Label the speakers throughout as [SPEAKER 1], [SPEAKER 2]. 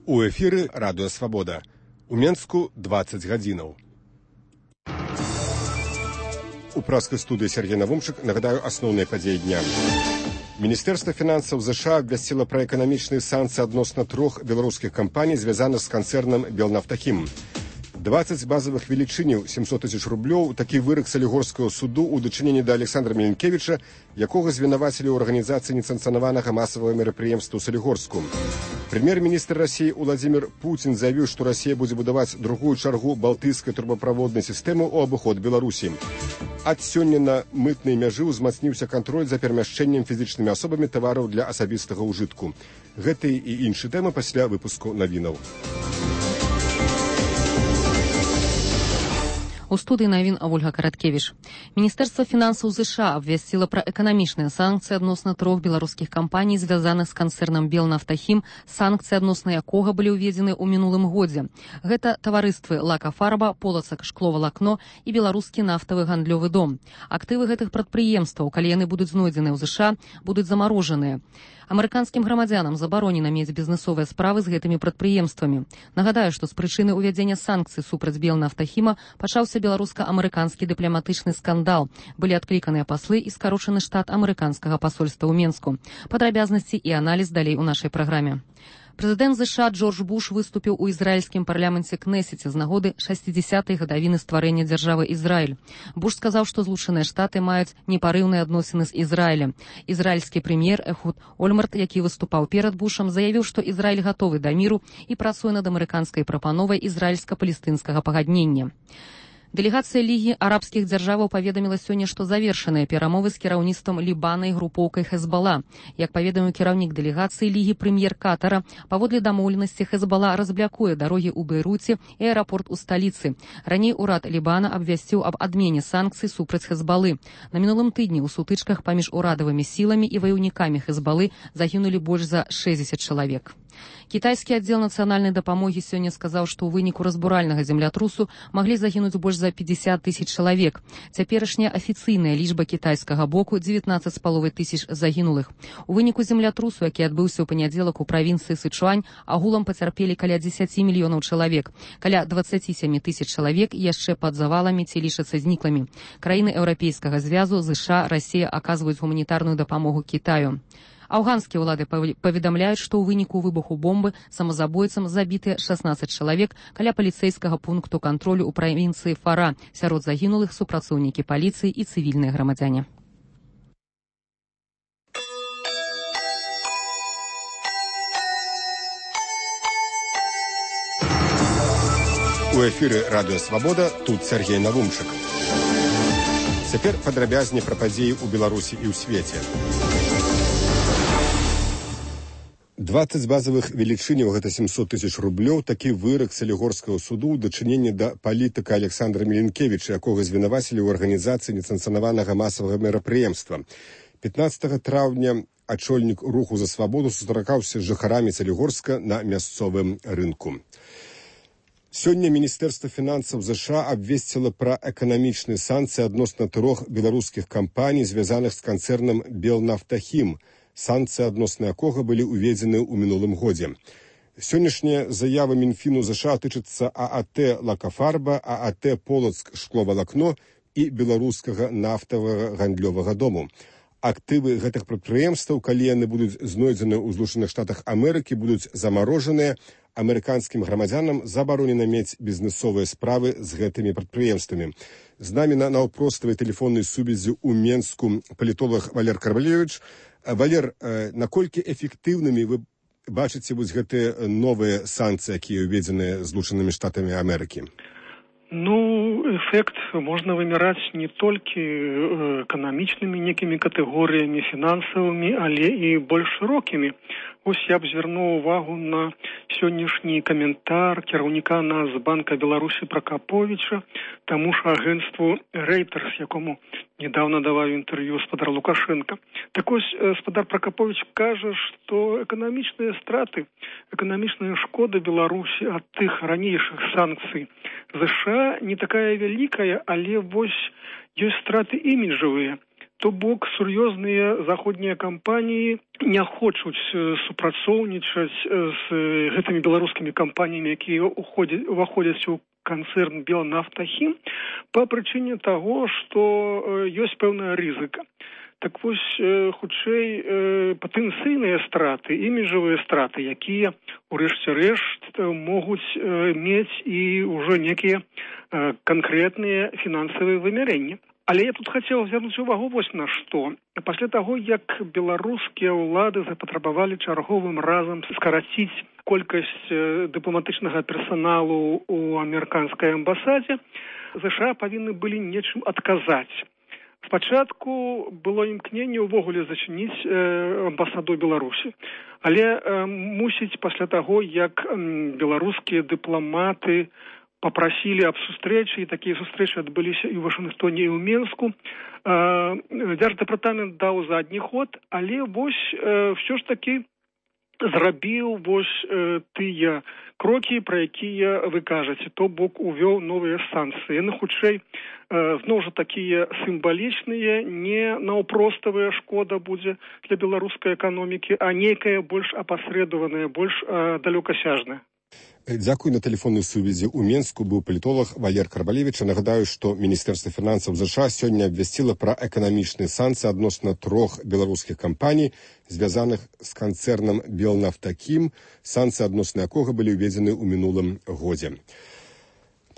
[SPEAKER 1] У эфіры Радыё Свабода. У Менску 20 гадзінаў. У праскай студыі Сергей Навумчык нагадаю асноўныя падзеі дня. Міністэрства фінансаў ЗША абвясціла пра эканамічныя санкцыі адносна 3 беларускіх кампаній, звязаных з канцэрнам «Белнафтахім». 20 базовых велічыняў, 700 тысяч рублёў, такі вырак Салігорскага суду ў дачыненні да Александра Міленкевіча, якога звінавацілі ў арганізацыі несанкцыянаванага масавага мерапрыемства ў Салігорску. Прэм'ер-міністр Расіі Уладзімір Пуцін заявіў, што Расія будзе будаваць другую чаргу балтыйскай турбаправоднай сістэмы ў абыход Беларусі. Ад сёння на мытнай мяжы ўзмацніўся кантроль за перамяшчэннем фізічнымі асобамі тавараў для асабістага ўжытку. Гэтыя і іншыя тэмы пасля выпуску навінаў.
[SPEAKER 2] У студыі навін Ольга Караткевіч. Міністэрства фінансаў ЗША абвясціла пра эканамічныя санкцыі адносна 3 беларускіх кампаній, звязаных з канцэрнам «Белнафтахім», санкцыі адносна якога былі ўведзены ў мінулым годзе. Гэта таварыствы «Лакафарба», «Полацак шкловалакно» і беларускі нафтавы гандлёвы дом. Актывы гэтых прадпрыемстваў, калі яны будуць знойдзены ў ЗША, будуць замарожаныя. Амерыканскім грамадзянам забаронена мець бізнесовыя справы з гэтымі прадпрыемствамі. Нагадаю, што з прычыны ўвядзення санкцый супраць «Белнафтахіма» пачаўся беларуска-амерыканскі дыпламатычны скандал. Былі адкліканыя паслы і скарочаны штат амерыканскага пасольства ў Менску. Падрабязнасці і аналіз далей у нашай праграме. Прэзідэнт ЗША Джордж Буш выступіў у ізраільскім парламенце Кнесеце з нагоды 60-й гадавіны стварэння дзяржавы Ізраіль. Буш сказаў, што Злучаныя Штаты маюць непарыўныя адносіны з Ізраілем. Ізраільскі прэм'ер Эхуд Ольмарт, які выступаў перад Бушам, заявіў, што Ізраіль гатовы да міру і працуе над амерыканскай прапановай ізраільска-палестынскага пагаднення. Дэлегацыя Лігі арабскіх дзяржаваў паведаміла сёння, што завершаныя перамовы з кіраўніцтвам Лібана і групоўкай Хезбала. Як паведаміў кіраўнік дэлегацыі Лігі прэм'ер Катара, паводле дамоўленасці Хезбала разблякуе дарогі ў Бейруце і аэрапорт у сталіцы. Раней урад Лібана абвясціў аб адмене санкцый супраць Хезбалы. На мінулым тыдні ў сутычках паміж урадавымі сіламі і ваяўнікамі Хезбалы загінулі больш за 60 чалавек. Кітайскі аддзел нацыянальнай дапамогі сёння сказаў, што ў выніку разбуральнага землятрусу маглі загінуць больш за 50 тысяч чалавек. Цяперашняя афіцыйная лічба кітайскага боку 19,5 тысяч загінулых. У выніку землятрусу, які адбыўся ў панядзелак у правінцыі Сычуань, агулам пацярпелі каля 10 мільёнаў чалавек. Каля 27 тысяч чалавек яшчэ пад заваламі ці лічацца знікламі. Краіны Еўрапейскага звязу, ЗША, Расія аказваюць гуманітарную дапамогу Кітаю. Афганскія ўлады паведамляюць, што ў выніку выбуху бомбы самазабойцам забітыя 16 чалавек каля паліцэйскага пункту кантролю ў правінцыі Фара. Сярод загінулых супрацоўнікі паліцыі і цывільныя грамадзяне.
[SPEAKER 1] У эфіры Радыё Свабода, тут Сергей Навумчык. Цяпер падрабязней пра падзеі ў Беларусі і ў свеце. 20 базовых велічыняў, гэта 700 тысяч рублёў, такі вырак Салігорскага суду ў дачыненні да палітыка Александра Міленкевіча, якога звінавацілі ў арганізацыі несанкцыянаванага масавага мерапрыемства. 15 траўня ачольнік руху за свабоду сустракаўся з жыхарамі Салігорска на мясцовым рынку. Сёння Міністэрства фінансаў ЗША абвесціла пра эканамічныя санкцыі адносна 3 беларускіх кампаній, звязаных з канцэрнам «Белнафтахім», санкцыі адносна якога былі ўведзены ў мінулым годзе. Сённяшняя заява Мінфіну ЗША тычыцца ААТ «Лакафарба», ААТ «Полацак шкловалакно» і беларускага нафтавага гандлёвага дому. Актывы гэтых прадпрыемстваў, калі яны будуць знойдзены ў Злучаных Штатах Амерыкі, будуць замарожаныя. Амерыканскім грамадзянам забаронена мець бізнесовыя справы з гэтымі прадпрыемствамі. З намі на наўпроставай тэлефоннай сувязі ў Менску палітолог Валер Карвалевіч. Валер, наколькі эфектыўнымі вы бачыце вось гэтыя новыя санкцыі, якія ўведзены Злучанымі Штатамі Амерыкі?
[SPEAKER 3] Эфект можна вымяраць не толькі эканамічнымі некімі катэгорыямі фінансавымі, але і больш шырокімі. Ось я б звярнуў увагу на сённяшні каментар кіраўніка Нацбанка Беларусі Пракаповіча, таму ж агэнцтву Reuters, якому недавно даваў інтэрв'ю спадар Лукашенко. Так ось спадар Пракаповіч кажа, што эканамічныя страты, эканамічная шкода Беларусі ад тых ранейшых санкцый ЗША не такая вялікая, але вось ёсць страты іміджавыя. То бок сур'ёзныя заходнія кампаніі не хочуць супрацоўнічаць з гэтымі беларускімі кампаніямі, якія уваходзяць у канцэрн Белнафтахім па прычыне таго, што ёсць пэўная рызыка. Так вось, хутчэй, патэнцыйныя страты, іміджавыя страты, якія, урэшце рэшт, могуць мець і ўжо некія канкрэтныя фінансавыя вымярэнні. Але я тут хацеў звярнуць увагу вось на што. Пасля таго, як беларускія ўлады запатрабавалі чарговым разам скараціць колькасць дыпламатычнага персаналу ў амерыканскай амбасадзе, ЗША павінны былі нечым адказаць. Спачатку было імкненне ўвогуле зачыніць амбасаду Беларусі. Але мусіць пасля таго, як беларускія дыпламаты папрасілі аб сустрэчы, і такія сустрэчы адбыліся і ў Вашынгтоне, і ў Менску, Дзярждэпартамент даў задні ход, але вось ўсё ж такі зрабіў вось тыя крокі, пра якія вы кажаце, то бок увёў новыя санкцыі. Яны хутчэй зноў жа такія сімвалічныя, не наўпроставая шкода будзе для беларускай эканомікі, а нейкая больш апасрэдаваная, больш далёкасяжная.
[SPEAKER 1] Дзякуй. На тэлефоннай сувязі ў Менску быў палітолог Валер Карбалевіч. Нагадаю, што Міністэрства фінансаў ЗША сёння абвясціла пра эканамічныя санкцыі адносна 3 беларускіх кампаній, звязаных з канцэрнам Белнафтахім, санкцыі адносна якога былі ўведзены ў минулым годзе.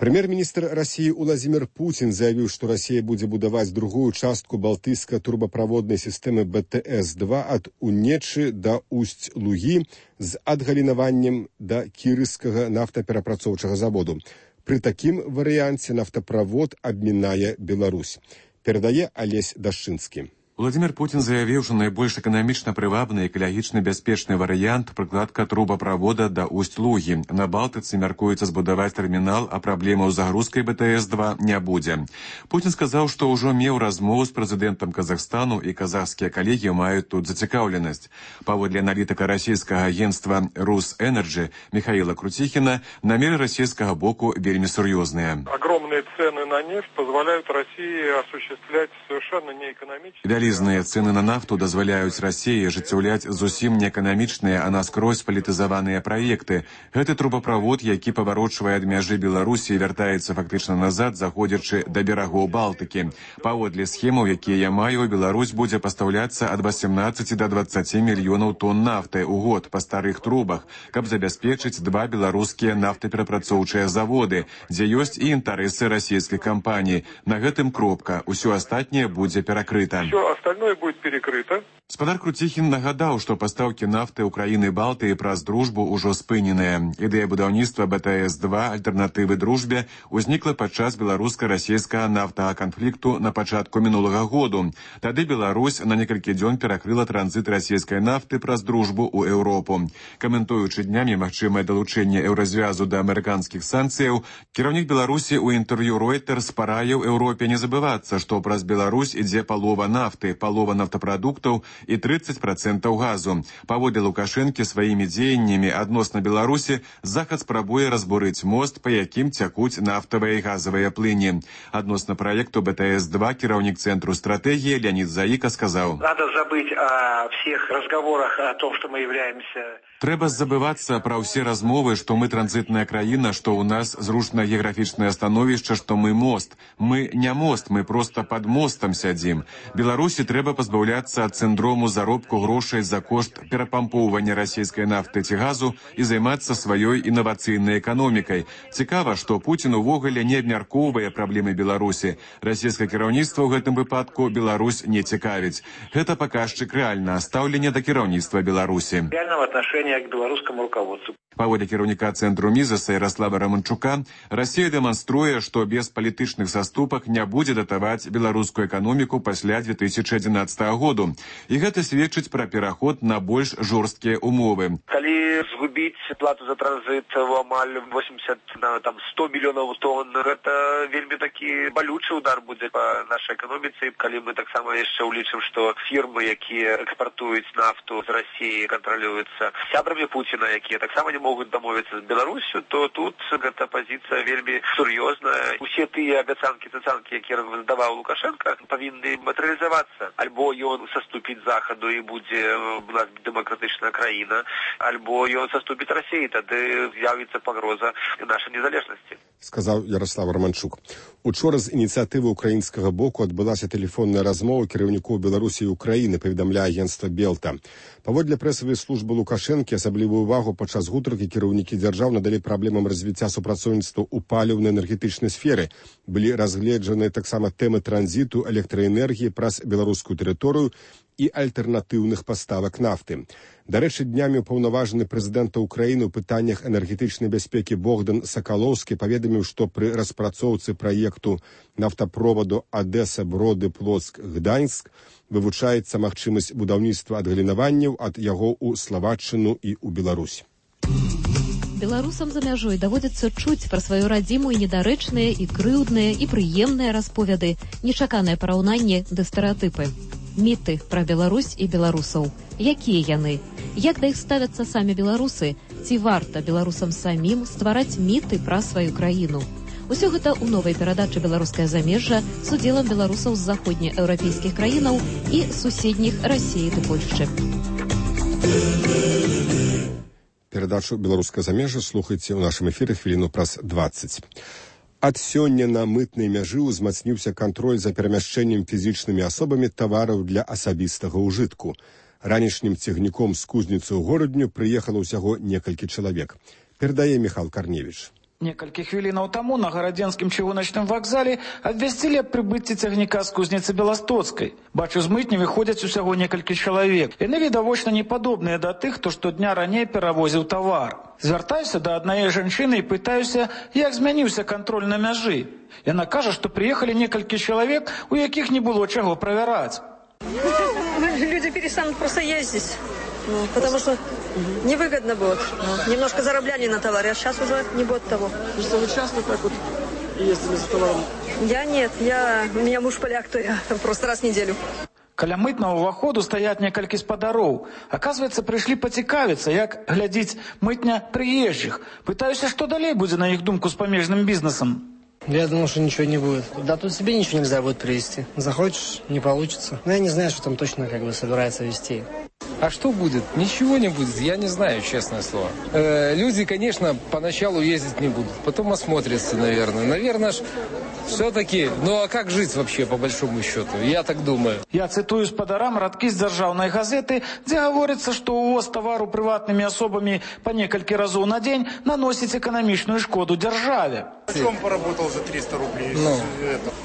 [SPEAKER 1] Прэм'ер-міністр Расіі Уладзімір Пуцін заявіў, што Расія будзе будаваць другую частку балтыйскай турбаправоднай сістэмы БТС-2 ад Унечы да Усть-Лугі з адгалінаваннем да Кірыскага нафтаперапрацоўчага заводу. Пры такім варыянце нафтаправод абмінае Беларусь. Перадае Алесь Дашчынскі.
[SPEAKER 4] Владимир Путин заявил, что наибольш экономично прывабны и экологично бяспечны вариант прокладка трубопровода до Усть-Луги. На Балтыцы мяркуецца збудаваць тэрмінал, а праблемаў з загрузкай БТС-2 не будзе. Путин сказал, что ўжо меў размову з прэзідэнтам Казахстану и казахскія калегі маюць тут зацікаўленасць. Паводле аналітыка расійскага агентства «Русэнерджи» Михаила Крутихина, намеры расійскага боку вельмі сур'ёзныя.
[SPEAKER 5] Огромные цены на нефть позволяют России осуществлять совершенно неэкономичные.
[SPEAKER 4] Вялізныя цэны на нафту дазваляюць Расіі ажыццяўляць зусім неэканамічныя, а наскрозь палітызаваныя праекты. Гэты трубаправод, які паварочвае ад мяжы Беларусі і вяртаецца фактычна назад, заходзячы да берагоў Балтыкі. Паводле схемаў, якія я маю, Беларусь будзе пастаўляцца ад 18 до 20 мільёнаў тонн нафты ў год па старых трубах, каб забяспечыць 2 беларускія нафтаперапрацоўчыя заводы, дзе ёсць і інтарэсы расійскіх кампаній. На гэтым кропка. Усё астатняе будзе перакрыта.
[SPEAKER 5] Остальное будет перекрыто.
[SPEAKER 4] Спадар Круціхін нагадаў, што пастаўкі нафты ўкраіны Балтыі праз дружбу ўжо спыненыя. Ідэя будаўніцтва БТС-2 альтэрнатывы дружбе ўзнікла падчас беларуска-расійскага нафтага канфлікту на пачатку мінулага году. Тады Беларусь на некалькі дзён перакрыла транзіт расійскай нафты праз дружбу ў Еўропу. Каментуючы днямі магчымае далучэнне еўразвязу да амерыканскіх санкцыяў, кіраўнік Беларусі ў інтэрв'ю Reuters параіў Еўропе не забывацца, што праз Беларусь ідзе палова нафты, палова нафтапрадуктаў і 30% газу. Паводле Лукашэнкі сваімі дзеяннямі адносна Беларусі Захад спрабуе разбурыць мост, па якім цякуць нафтавыя і газавыя плыні. Адносна праекту БТС-2 кіраўнік Цэнтру стратэгіі Леонид Заика сказаў:
[SPEAKER 6] «Надо забыть о всех разговорах о том, что мы являемся...»
[SPEAKER 4] Трэба забывацца пра ўсе размовы, што мы транзітная краіна, што ў нас зручнае геаграфічнае становішча, што мы мост. Мы не мост, мы проста пад мостам сядзім. Беларусі трэба пазбаўляцца ад сіндрому заробку грошай за кошт перапампоўвання расійскай нафты ці газу і займацца сваёй інавацыйнай эканомікай. Цікава, што Пуцін увогуле не абмяркоўвае праблемы Беларусі. Расійскае кіраўніцтва ў гэтым выпадку Беларусь не цікавіць. Гэта паказчык рэальнага стаўлення да кіраўніцтва Беларусі.
[SPEAKER 6] Реального отношения к белорусскому руководству.
[SPEAKER 4] Паводле кіраўніка Цэнтру Мізаса Ярослава Раманчука, Расія дэманструе, што без палітычных саступак не будзе датаваць беларускую эканоміку пасля 2011 году. І гэта сведчыць пра пераход на больш жорсткія умовы.
[SPEAKER 6] Калі згубіць плату за транзит в амаль 100 мільёнаў тонн, гэта вельмі такі балючы удар будзе па нашай эканоміцы. Калі мы таксама яшчэ ўлічым, што фірмы, якія экспартуюць нафту з Расіі, кантралююцца сябрамі Пуціна, якія таксама не могуць дамовіцца з Беларусю, то тут гэта пазіцыя вельмі сур'ёзная. Усе тыя абяцанкі, якія даваў Лукашенко, павінны матэрыялізавацца адаптавацца. Альбо ён саступіць захаду і будзе у нас дэмакратычная краіна, альбо ён саступіць Расіі, тады з'явіцца пагроза нашай незалежнасці.
[SPEAKER 1] Сказаў Ярослав Романчук. Учора з ініцыятывы украінскага боку адбылася тэлефонная размова кіраўнікоў Беларусі і Украіны, паведамляе агенцтва Белта. Паводле прэсавай службы Лукашэнкі асаблівую увагу падчас гутаркі кіраўнікі дзяржаў надалі праблемам развіцця супрацоўніцтва ў паліўна-энергетычнай сферы. Былі разгледжаныя таксама тэмы транзіту электраэнергіі праз беларускую тэрыторыю і альтэрнатыўных паставак нафты. Дарэчы, днямі ўпаўнаважаны прэзідэнта Украіны ў пытаннях энергетычнай бяспекі Богдан Сакалоўскі паведаміў, што пры распрацоўцы праекту нафтаправоду Адэса-Броды-Плоцк-Гданьск вывучаецца магчымасць будаўніцтва адгалінаванняў ад яго ў Славаччыну і ў Беларусь.
[SPEAKER 7] Беларусам за мяжой даводзіцца чуць пра сваю радзіму і недарэчныя, і крыўдныя, і прыемныя расповеды, нечаканае параўнанне ды стэрэатыпы. Міты пра Беларусь і беларусаў. Якія яны? Як да іх ставяцца самі беларусы? Ці варта беларусам самім ствараць міты пра сваю краіну? Усё гэта ў новай перадачы «Беларускае замежжа» з удзелам беларусаў з заходнееўрапейскіх краінаў і суседніх Расіі ды Польшчы.
[SPEAKER 1] Перадачу «Беларускае замежжа» слухайце ў нашым эфіры хвіліну праз 20. Ад сёння на мытнай мяжы ўзмацніўся кантроль за перамяшчэннем фізічнымі асобамі тавараў для асабістага ўжытку. Ранішнім цягніком з кузніцы ў горадню прыехала ўсяго некалькі чалавек. Перадае Міхал Карневіч.
[SPEAKER 8] Некалькі хвілінаў таму на гарадзенскім чыгуначным вакзале абвясцілі аб прыбыцці цягніка з кузніцы Беластоцкай. Бачу, з мытні выходзяць усяго некалькі чалавек. Яны відавочна не падобныя да тых, хто штодня раней перавозіў тавар. Звяртаюся да аднае жанчыны і пытаюся, як змяніўся кантроль на мяжы. Яна кажа, што прыехалі некалькі чалавек, у якіх не было чаго правяраць.
[SPEAKER 9] Люди перестанут просто ездить. Потому что невыгодно будет. Немножко заробляли на товаре, а сейчас уже не будет того.
[SPEAKER 8] Что вы часто так вот ездили за товаром?
[SPEAKER 9] Я нет, у меня муж поляк, то я просто раз в неделю.
[SPEAKER 8] Каля мытнага ўваходу стаяць некалькі спадароў. Аказваецца, прыйшлі пацікавіцца, як глядзіць мытня прыезджых. Пытаюся, што далей будзе на іх думку з памежным бізнесам.
[SPEAKER 10] Я думал, что ничего не будет. Да тут себе ничего нельзя будет привезти. Захочешь, не получится. Но я не знаю, что там точно собирается везти.
[SPEAKER 11] А что будет? Ничего не будет, я не знаю, честное слово. Люди, конечно, поначалу ездить не будут, потом осмотрятся, наверное. Наверное, все-таки, ну а как жить вообще, по большому счету? Я так думаю.
[SPEAKER 8] Я цитую спадарам радкі з дзяржаўнай газеты, дзе гаворыцца, што ўвоз тавару прыватнымі асобамі па некалькі разоў на дзень наносіць эканамічную шкоду дзяржаве.
[SPEAKER 12] В чем поработал за 300 рублей?
[SPEAKER 11] Ну,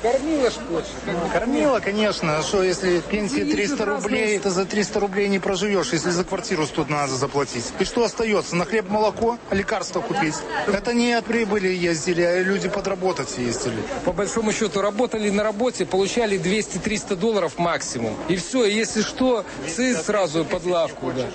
[SPEAKER 11] кормила ж больше.
[SPEAKER 12] Кормила, конечно. Что, если пенсия 300 рублей, то за 300 рублей не проживешь, если за квартиру 100 надо заплатить. И что остается? На хлеб, молоко, лекарства купить? Это не от прибыли ездили, а люди подработать ездили.
[SPEAKER 11] По большому счету, работали на работе, получали $200-300 максимум. И все, если что, сразу под лавку, да.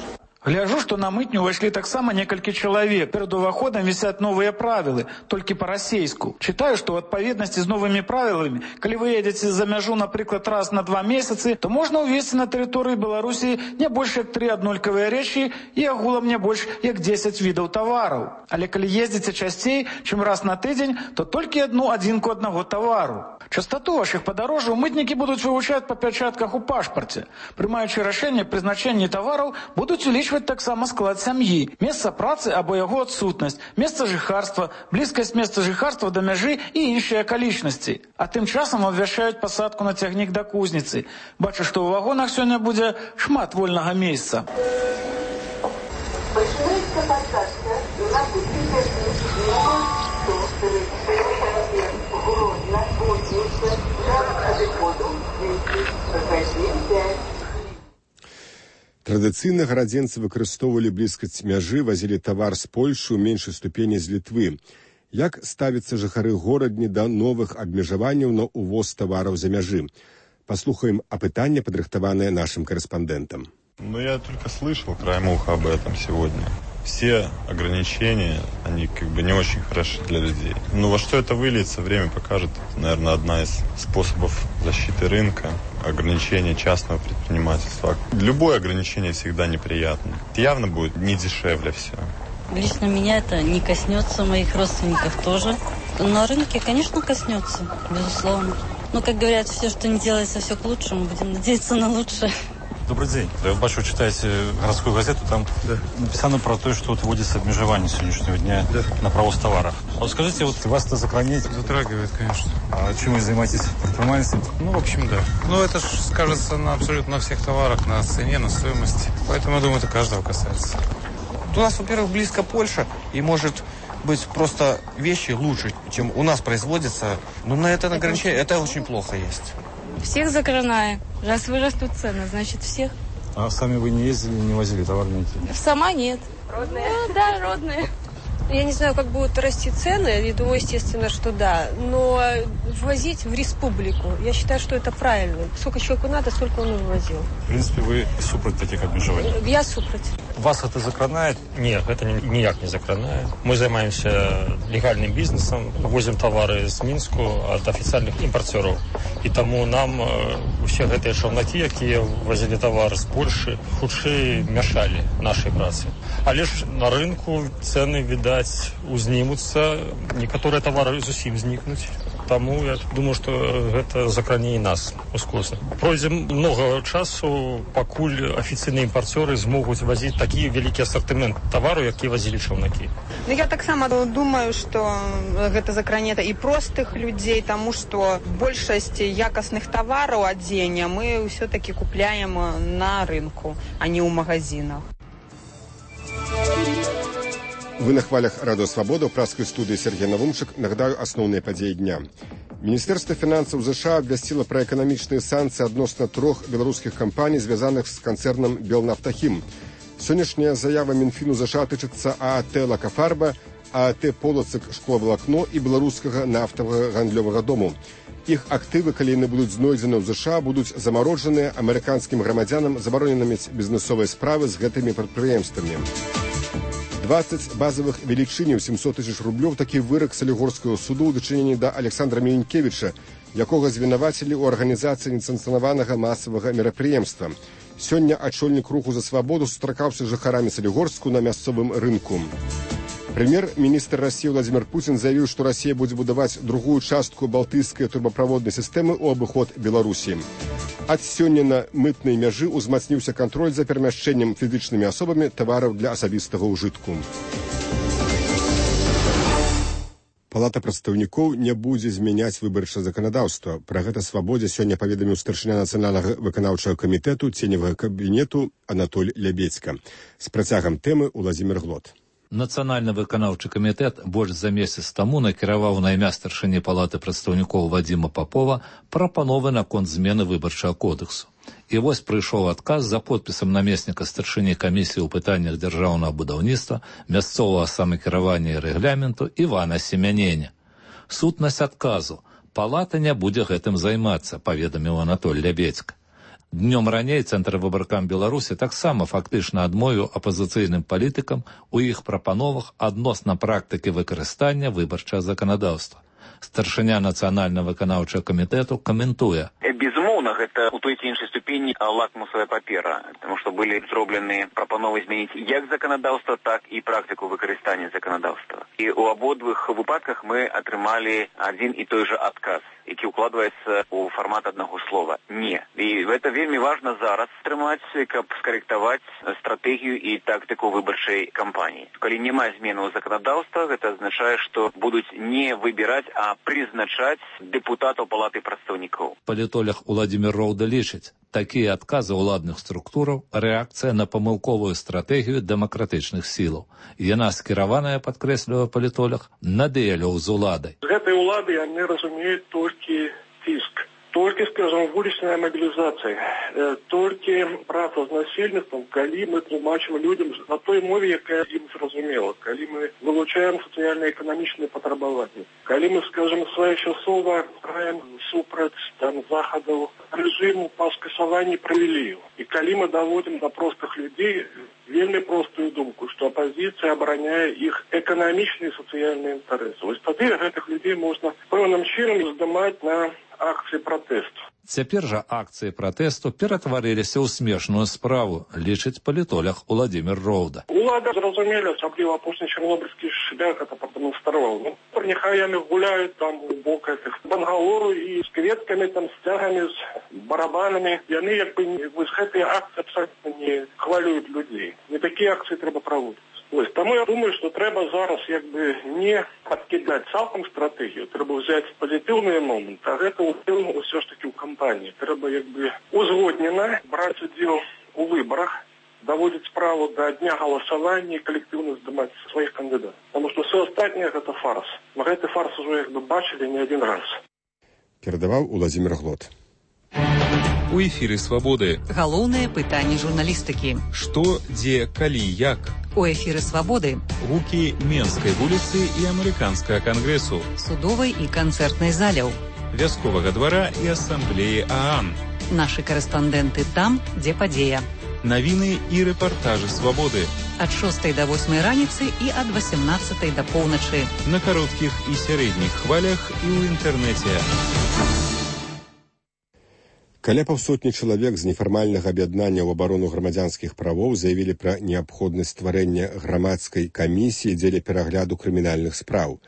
[SPEAKER 8] Гляжу, што на мытню ўвайшлі таксама некалькі чалавек. Перад уваходам вісяць новыя правілы, толькі па-расейску. Чытаю, што ў адпаведнасці з новымі правіламі, калі вы едзеце за мяжу, напрыклад, раз на 2 месяцы, то можна ўвесці на тэрыторыі Беларусі не больш як 3 аднолькавыя рэчы і агулам не больш як 10 відаў тавараў. Але калі ездзіце часцей, чым раз на тыдзень, то толькі одну адзінку аднаго тавару. Частоту вашых падарожжаў мытнікі будуць вывучаць па пячатках у пашпарце. Прымаючы рашэнне прызначэнні тавараў, будуць улічваць таксама склад сям'і, месца працы або яго адсутнасць, месца жыхарства, блізкасць месца жыхарства да мяжы і іншыя акалічнасці. А тым часам абвяшчаюць пасадку на цягнік да кузніцы. Бачу, што ў вагонах сёння будзе шмат вольнага месца. Пачынаецца пасадка на
[SPEAKER 1] Традыцыйна гарадзенцы выкарыстоўвалі блізкасць мяжы, вазілі тавар з Польшы, у меншай ступені з Літвы. Як ставяцца жыхары горадні да новых абмежаванняў на увоз тавараў за мяжы? Послухаем апытанне, падрыхтаванае нашим корреспондентам.
[SPEAKER 13] Я только слышал краем уха об этом сегодня. Все ограничения, они не очень хороши для людей. Но во что это выльется, время покажет. Это, наверное, одна из способов защиты рынка, ограничения частного предпринимательства. Любое ограничение всегда неприятно. Явно будет не дешевле все.
[SPEAKER 14] Лично меня это не коснется, моих родственников тоже. На рынке, конечно, коснется, безусловно. Но, как говорят, все, что не делается, все к лучшему. Будем надеяться на лучшее.
[SPEAKER 15] Добрый день. Я бачу, читаете городскую газету, там написано про то, что вот вводится обмежевание сегодняшнего дня на провоз товаров. А вот скажите, вот вас это
[SPEAKER 16] затрагивает, конечно.
[SPEAKER 15] А чем вы занимаетесь? Предпринимательством?
[SPEAKER 16] Ну, в общем, да. Ну, это же скажется на абсолютно всех товарах, на цене, на стоимости. Поэтому, я думаю, это каждого касается.
[SPEAKER 17] У нас, во-первых, близко Польша, и может быть просто вещи лучше, чем у нас производятся. Но на это ограничение, это очень плохо есть.
[SPEAKER 18] Всех закрываем. Раз вырастут цены, значит всех.
[SPEAKER 15] А сами вы не ездили, не возили товар?
[SPEAKER 18] Сама нет. Родные? Ну, да, родные.
[SPEAKER 19] Я не знаю, как будут расти цены. Я думаю, естественно, что да. Но ввозить в республику, я считаю, что это правильно. Сколько человеку надо, столько он и вывозил.
[SPEAKER 15] В принципе, вы супроть таких обмежеваний?
[SPEAKER 19] Я супроть.
[SPEAKER 15] Вас это закранает?
[SPEAKER 20] Нет, это ніяк не закранає. Мы занимаемся легальным бизнесом, возим товары з Мінську от официальных импортеров. И тому нам все гэтыя шаўнакі, якія возили товар з Польши, хутчэй мешали нашей працы. Але ж на рынку цены, видать, узнімуцца, некаторыя товары зусім знікнуць. Тому я думаю, что это закране и нас ускоса. Пройдзе много часу, пакуль офіцыйныя імпарцёры змогуць возить такі вялікі ассортимент товару, які возили чаўнакі.
[SPEAKER 21] Ну, я таксама думаю, что гэта закране і простых людзей, тому что большасць якасных товараў адзення мы все-таки купляем на рынку, а не ў магазинах.
[SPEAKER 1] Вы на хвалях Радио Свобода, в пражской студии Сергей Навумчик. Нагадаю основные подеи дня. Министерство финансов США обвестило про экономичные санкции относно 3 белорусских компаний, связанных с концерном «Белнафтахим». Сегодняшняя заява Минфину США тычется ААТ «Лакофарба», ААТ «Полоцк шкловолокно» и белорусского нафтового гандлёвого дому. Их активы, калі яны будуць знойдзены ў США, будуць замарожаныя амерыканскім грамадзянам, забаронена мець бізнесовыя справы з гэтымі прадпрыемствамі. 20 базовых велічыняў 700 тысяч рублёў такі вырак Салігорскага суду ў дачыненні да Александра Міленкевіча, якога звінавацілі ў арганізацыі несанкцыянаванага масавага мерапрыемства. Сёння ачольнік руху за свабоду сустракаўся з жыхарамі Салігорску на мясцовым рынку. Премьер-министр России Владимир Путин заявил, что Россия будет будовать другую частку балтийской трубопроводной системы у обыход Беларуси. От сёння на мытной мяжы узмацніўся контроль за перамяшчэннем фізычнымі асобамі тавараў для асабістага ўжытку. Палата прадстаўнікоў не будзе змяняць выбарчае заканадаўства. Пра гэта «Свабодзе» сёння паведаміў старшыня нацыянальнага выканаўчага камітэту ценевага кабінету Анатоль Лябедзька. З працягам тэмы Уладзімір Глот.
[SPEAKER 22] Нацыянальны выканаўчы камітэт больш за месяц таму накіраваў на імя старшыні палаты прадстаўнікоў Вадзіма Папова прапановы наконт змены выбарчага кодексу. І вось прыйшоў адказ за подпісам намесніка старшыні камісіі ў пытаннях дзяржаўнага будаўніцтва, мясцовага самакіравання і рэгламенту Івана Семяняня. Сутнасць адказу: палата не будзе гэтым займацца, паведаміў Анатоль Лябедзька. Днём раней Цэнтр выбаркам Беларусі таксама фактычна адмовіў апазіцыйным палітыкам у іх прапановах адносна практыкі выкарыстання выбарчага заканадаўства. Старшыня нацыянальнага выканаўчага камітэту каментуе:
[SPEAKER 6] безумоўна, гэта у той ці іншай ступені лакмусовая папера, тому што былі зроблены прапановы змяніць як заканадаўства, так і практыку выкарыстання заканадаўства. І ў абодвых выпадках мы атрымалі адзін і той жа адказ, які укладваецца ў фармат аднаго слова «не». І гэта вельмі важна зараз атрымаць, каб скарэктаваць стратэгію і тактыку выбарчай кампаніі. Калі няма зменаў заканадаўства, гэта азначае, што будуць не выбіраць, а прызначаць дэпутатаў палаты прадстаўнікоў.
[SPEAKER 22] Палітолог Уладзімір Роўда лічыць, такія адказы ўладных структураў рэакцыя на памылковую стратэгію дэмакратычных сілаў. Яна скіраваная, падкрэслівае палітолог, на дыялог з уладай.
[SPEAKER 5] Гэтай улады яны разумеюць толькі ціск, толькі, скажем, вулічная мобілізацыя, толькі праца з насельніцтвам, калі мы тлумачым людям на той мове, якая ім зразумела, калі мы вылучаем сацыяльна-эканамічныя патрабаванні, калі мы, скажем, своечасова граем супраць захадаў рэжыму па скасаванні прывілеяў. І калі мы даводзім да простых людзей вельмі простую думку, што апазіцыя абараняе іх эканамічныя і сацыяльныя інтарэсы. Вось тады гэтых людзей можна пэўным чынам здымаць на акцыі пратэсту.
[SPEAKER 22] Цяпер жа акцыі пратэсту ператварыліся ў смешную справу, лічыць палітолог Уладзімір Роўда.
[SPEAKER 5] Улада зразумелі, асабліва апошні чарнобыльскі шлях это прадэманстраваў. Няхай яны гуляюць там у бок этих бангалору і з кветкамі, там, з цягамі, з барабанамі. Яны як бы з гэтай акцыі абсолютно не хвалююць людзей. Не такія акцыі трэба праводзіць. Тому я думаю, что треба зараз якби не подкидать цалком стратегію, треба взяти позитивний момент, а гэта все ж таки у кампанії. Треба якби узгоднено брати уділ у виборах, доводить справу до дня голосування і колективно здымаць своїх кандидатів. Тому що все остальне гэта фарс. Мы гэты фарс уже якби бачили не один раз.
[SPEAKER 1] Перадаваў Уладзімір Глот.
[SPEAKER 2] У эфіры «Свабоды».
[SPEAKER 3] Галоўнае пытанне журналістыкі.
[SPEAKER 2] Што, дзе, калі, як?
[SPEAKER 3] У эфіры «Свабоды».
[SPEAKER 2] Гукі Менскай вуліцы і Амерыканскага кангрэсу.
[SPEAKER 3] Судовай і канцэртнай заляў.
[SPEAKER 2] Вясковага двара і асамблеі ААН.
[SPEAKER 3] Нашы карэспандэнты там, дзе падзея.
[SPEAKER 2] Навіны і рэпартажы «Свабоды».
[SPEAKER 3] Ад 6 до 8 раніцы і ад 18 до поўначы.
[SPEAKER 2] На кароткіх і сярэдніх хвалях і ў інтэрнэце.
[SPEAKER 1] Каля паўсотні чалавек з нефармальнага аб'яднання ў абарону грамадзянскіх правоў заявілі пра неабходнасць стварэння грамадскай камісіі дзеля перагляду крымінальных спраў.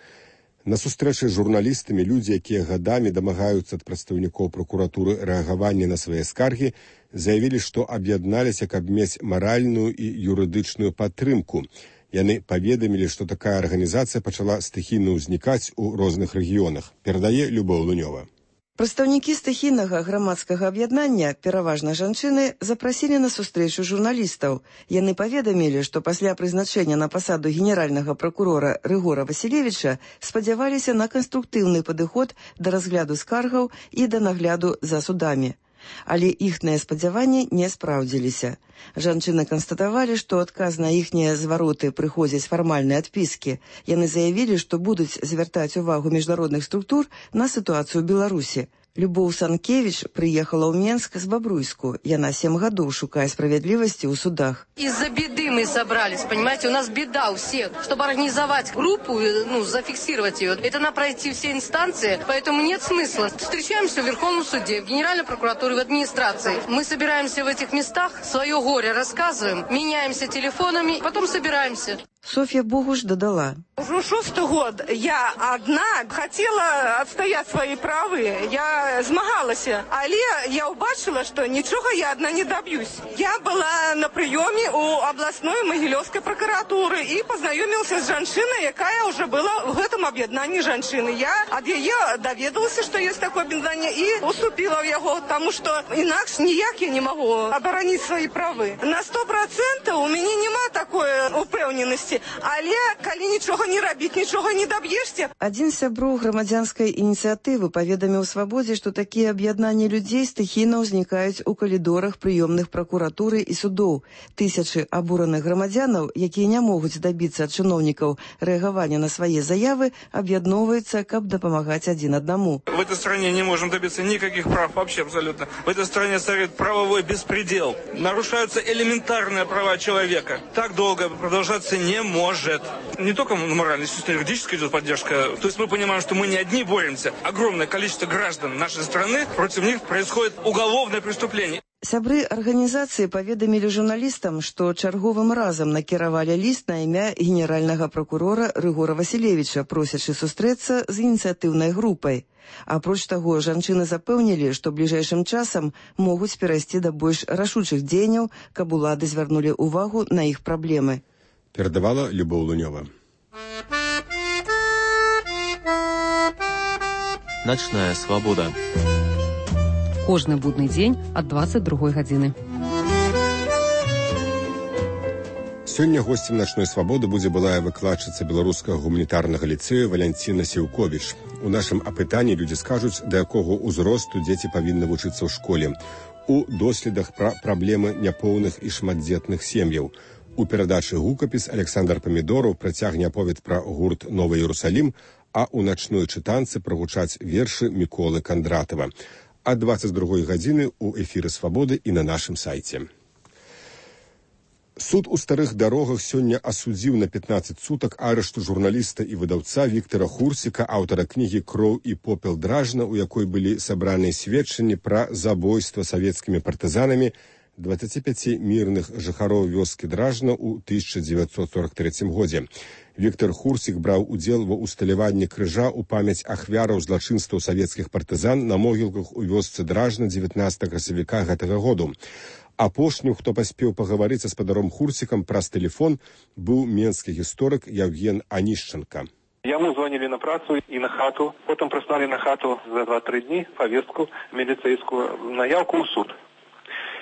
[SPEAKER 1] На сустрэчы з журналістамі людзі, якія гадамі дамагаюцца ад прадстаўнікоў пракуратуры рэагавання на свае скаргі, заявілі, што аб'ядналіся, каб мець маральную і юрыдычную падтрымку. Яны паведамілі, што такая арганізацыя пачала стыхійна ўзнікаць у розных рэгіёнах. Перадае Любоў Лунёва.
[SPEAKER 23] Прадстаўнікі стыхійнага грамадскага аб'яднання, пераважна жанчыны, запрасілі на сустрэчу журналістаў. Яны паведамілі, што пасля прызначэння на пасаду генеральнага пракурора Рыгора Васілевіча спадзяваліся на канструктыўны падыход да разгляду скаргаў і да нагляду за судамі. Але іхныя спадзяванні не спраўдзіліся. Жанчыны канстатавалі, што адказ на іхнія звароты прыходзяць фармальныя адпіскі. Яны заявілі, што будуць звяртаць увагу міжнародных структур на сітуацыю ў Беларусі. Любоў Санкевич приехала в Менск с Бобруйску. Яна 7 годов шукая справедливости у судах.
[SPEAKER 24] Из-за беды мы собрались, понимаете, у нас беда у всех. Чтобы организовать группу, зафиксировать ее, это надо пройти все инстанции, поэтому нет смысла. Встречаемся в Верховном суде, в Генеральной прокуратуре, в администрации. Мы собираемся в этих местах, свое горе рассказываем, меняемся телефонами, потом собираемся.
[SPEAKER 23] Софья Богуш додала.
[SPEAKER 25] Уже 6-й год я одна хотела отстоять свои правы. Я змагалась, але я убачила, что ничего я одна не добьюсь. Я была на приеме у областной Могилевской прокуратуры и познакомилась с женщиной, якая уже была в этом объединении женщины. Я от ее доведалась, что есть такое объединение, и уступила в его, потому что иначе никак я не могу оборонить свои правы. На 100% у меня нема такой упевнености. Але калі нічога не рабіць, нічога не даб'ешся.
[SPEAKER 23] Адзін з сяброў грамадзянскай ініцыятывы паведаміў Свабодзе, што такія аб'яднанні людзей стыхійна ўзнікаюць у калідорах прыёмных пракуратуры і судоў. Тысячы абураных грамадзянаў, якія не могуць дабіцца ад чыноўнікаў рэагавання на свае заявы, аб'ядноўваюцца, каб дапамагаць адзін аднаму.
[SPEAKER 26] В этой стране не можем добиться никаких прав вообще абсолютно. В этой стране царит правовой беспредел. Нарушаются элементарные права человека. Так долго продолжаться не может. Не только морально, естественно, юридическая идет поддержка. То есть мы понимаем, что мы не одни боремся. Огромное количество граждан нашей страны, против них происходит уголовное преступление.
[SPEAKER 23] Сябры арганізацыі паведамілі журналістам, што чарговым разам накіравалі ліст на імя генеральнага пракурора Рыгора Васілевіча, просячы сустрэцца з ініцыятыўнай групай. Апроч таго, жанчыны запэўнілі, што бліжэйшым часам могуць перайсці да больш рашучых дзеянняў, каб улады звярнулі ўвагу на іх праблемы.
[SPEAKER 1] Передавала Любоў Лунёва.
[SPEAKER 27] Ночная свобода.
[SPEAKER 3] Кожны будны дзень ад 22 гадзіны.
[SPEAKER 1] Сёння госцем начной свабоды будзе былая выкладчыца беларускага гуманітарнага ліцэя Валянціна Сіўковіч. У нашым апытанні людзі скажуць, да якога ўзросту дзеці павінны вучыцца ў школе. У доследах пра праблемы няпоўных і шматдзетных сем'яў. У перадачы «Гукапіс» Александр Памідораў працягне аповед пра гурт «Новы Іерусалім», а ў начной чытанцы прагучаць вершы Міколы Кандратава. А 22 гадзіны ў эфіры «Свабоды» і на нашым сайце. Суд у старых дарогах сёння асудзіў на 15 сутак арышту журналіста і выдаўца Віктара Хурсіка, аўтара кнігі «Кроў і попел Дражна», у якой былі сабраныя сведчанні пра забойства савецкімі партызанамі 25 мірных жыхароў вёскі Дражна ў 1943 годзе. Віктар Хурсік браў удзел ва ўсталяванні крыжа ў памяць ахвяраў злачынстваў савецкіх партызан на могілках у вёсцы Дражна 19 красавіка гэтага году. Апошнім, хто паспеў пагаварыць са спадаром Хурсікам праз тэлефон, быў менскі гісторык Яўген Анішченка.
[SPEAKER 4] Яму звонили на працу и на хату, потом прислали на хату за 2-3 дни повестку милицейскую на явку ў суд.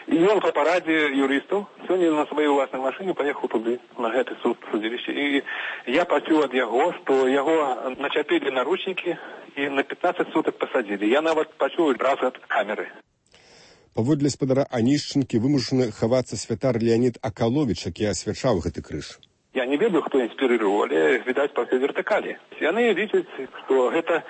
[SPEAKER 4] И он по параде юристов сегодня на своей власной машине поехал туда, на этот суд, судилище. И я почув от его, что его начепили наручники и на 15 суток посадили. Я нават почув раз от камеры.
[SPEAKER 1] Паводле спадара Анішченкі вымушаны хавацца святар Леонид Акалович, які асвячаў гэты крыж.
[SPEAKER 4] Я не ведаю, хто інспірировал, але, відаць, па всей вертыкалі. Яны лічаць, што гэта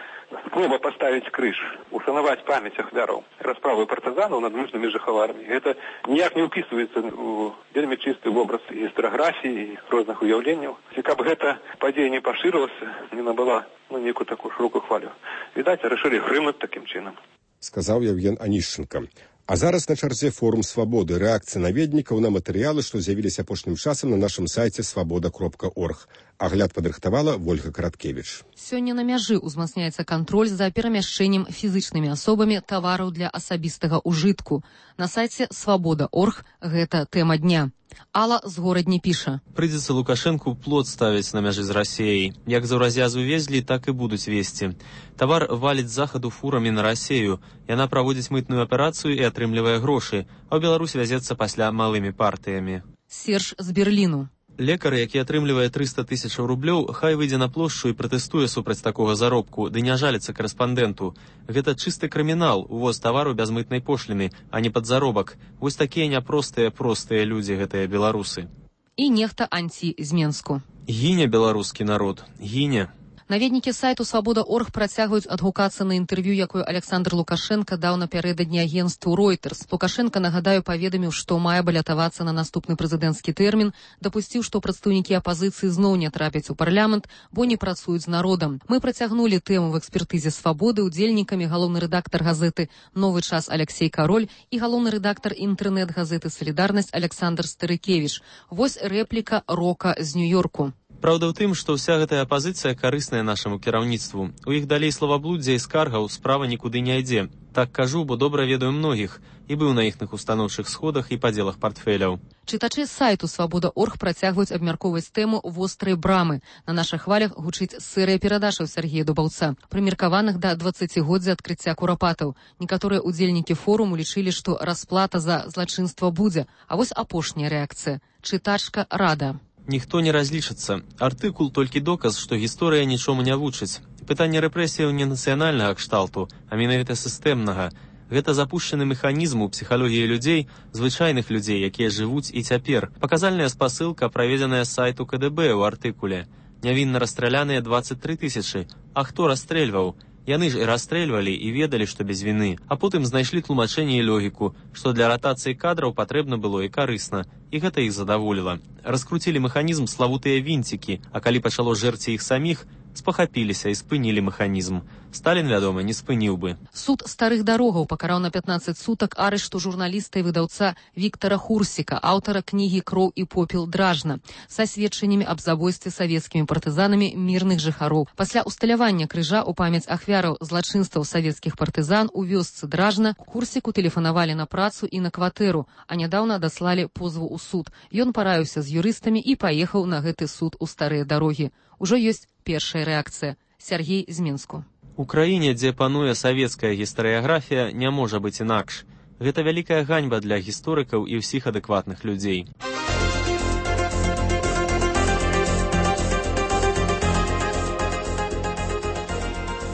[SPEAKER 4] спроба паставіць крыж, ушанаваць памяць ахвяраў расправы партызанаў над мужнымі жыхарамі. Гэта ніяк не ўпісваецца ў вельмі чысты вобраз гістарыяграфіі і розных уяўленняў. І каб гэта падзея не пашырылася, не набыла нейкую такую шырокую хвалю. Відаць, рашылі грымнуць такім чынам.
[SPEAKER 1] Сказаў Яўген Анішченка. А зараз на чарзе форум «Свабоды» рэакцыя наведнікаў на матэрыялы, што з'явіліся апошнім часам на нашым сайце свабода.орг. Агляд падрыхтавала Вольга Караткевіч.
[SPEAKER 3] Сёння на мяжы ўзмацняецца кантроль за перамяшчэннем фізычнымі асобамі тавараў для асабістага ўжытку. На сайце свабода.орг гэта тэма дня. Алла з горадні піша.
[SPEAKER 27] Прыйдзецца Лукашэнку плот ставіць на мяжы з Расіяй. Як за ўраз'язу везлі, так і будуць везці. Тавар валіць з захаду фурамі на Расею. Яна праводзіць мытную аперацыю і атрымлівае грошы, а ў Беларусь вязецца пасля малымі партыямі.
[SPEAKER 3] Серж з Берліну.
[SPEAKER 27] Лекар, які атрымлівае 300 000 рублёў, хай выйдзе на плошчу і пратэстуе супраць такога заробку, ды не жаліцца корэспандэнту. Гэта чысты крымінал, увоз тавару без мытнай пошліны, а не падзаробак. Вось такія няпростыя людзі гэтыя беларусы.
[SPEAKER 3] І нехта анці з Менску.
[SPEAKER 27] Гіне беларускі народ, гіне.
[SPEAKER 3] Наведнікі сайту «Свабода.орг» працягваюць адгукацца на інтэрв'ю, якое Александр Лукашенко даў напярэдадні агенству Reuters. Лукашенко, нагадаю, паведаміў, што мае балятавацца на наступны прэзідэнцкі тэрмін, дапусціў, што прадстаўнікі апазіцыі зноў не трапяць у парламент, бо не працуюць з народам. Мы працягнулі тэму в экспертызе «Свабоды» удзельнікамі галоўны рэдактар газеты «Новы час» Алексей Кароль і галоўны рэдактар інтэрнэт-газеты «Салідарнасць» Александр Старыкевіч. Вось рэпліка Рока з Нью-Йорку.
[SPEAKER 27] Праўда ў тым, што ўся гэтая апазіцыя карысная нашаму кіраўніцтву. У іх далей славаблуддзя і скаргаў справа нікуды не ідзе. Так кажу, бо добра ведаю многіх і быў на іхных устаноўчых сходах і падзелах партфеляў.
[SPEAKER 3] Чытачы сайту «Свабода.орг» працягваюць абмяркоўваць тэму вострай брамы. На нашых хвалях гучыць серыя перадачаў Сергея Дубаўца, прымеркаваных да 20-годдзя адкрыцця курапатаў. Некаторыя удзельнікі форуму лічылі, што расплата за злачынства будзе. А вось апошняя рэакцыя. Чытачка Рада.
[SPEAKER 27] Ніхто не разлічыцца. Артыкул толькі доказ, што гісторыя нічому не вучыць. Пытанне рэпрэсіяў не нацыянальнага кшталту, а менавіта сістэмнага. Гэта запушчаны механізм у псіхалогіі людзей, звычайных людзей, якія жывуць і цяпер. Паказальная спасылка, праведзеная з сайту КДБ ў артыкуле. Нявінна расстраляныя 23 000. А хто расстрэльваў? Яны ж і расстрэльвалі і ведалі, што без віны, а потым знайшлі тлумачэнне і логіку, што для ратацыі кадраў патрэбна было і карысна, і гэта іх задаволіла. Раскруцілі механізм славутыя вінцікі, а калі пачало жэрці іх саміх, спахапіліся і спынілі механізм. Сталін, вядома, не спыніў бы.
[SPEAKER 3] Суд старых дарогаў пакараў на 15 сутак арышту журналіста і выдаўца Віктара Хурсіка, аўтара кнігі «Кроў і попел Дражна», са сведчаннямі аб забойстве савецкімі партызанамі мірных жыхароў. Пасля усталявання крыжа ў памяць ахвяраў злачынстваў савецкіх партызан у вёсцы Дражна Хурсіку тэлефанавалі на працу і на кватэру, а нядаўна даслалі позву ў суд. Ён параіўся з юрыстамі і паехаў на гэты суд у старыя дарогі. Ужо ёсць першая рэакцыя. Сергей з Менску.
[SPEAKER 27] У краіне, дзе пануе савецкая гістарыяграфія, не можа быць інакш. Гэта вялікая ганьба для гісторыкаў і ўсіх адэкватных людзей.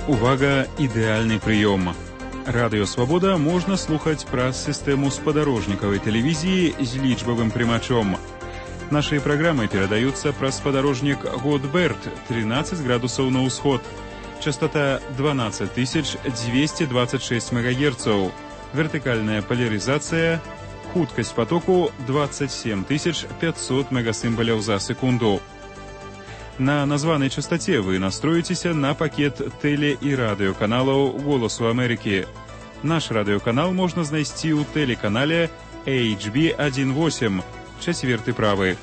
[SPEAKER 7] Увага, ідэальны прыём. Радыё «Свабода» можна слухаць праз сістэму спадарожнікавай тэлевізіі з лічбавым прымачом. Наши программы передаются праз спадарожнік Годберт, 13 градусаў на ўсход. Частота 12226 МГц. Вертикальная поляризация, Хуткасць потоку 27 500 мегасімбаляў за секунду. На названай частоце вы настроіцеся на пакет тэле- і радыёканалаў «Голасу Амерыкі». Наш радыёканал можна знайсці ў тэлеканале HB18, 4 правы.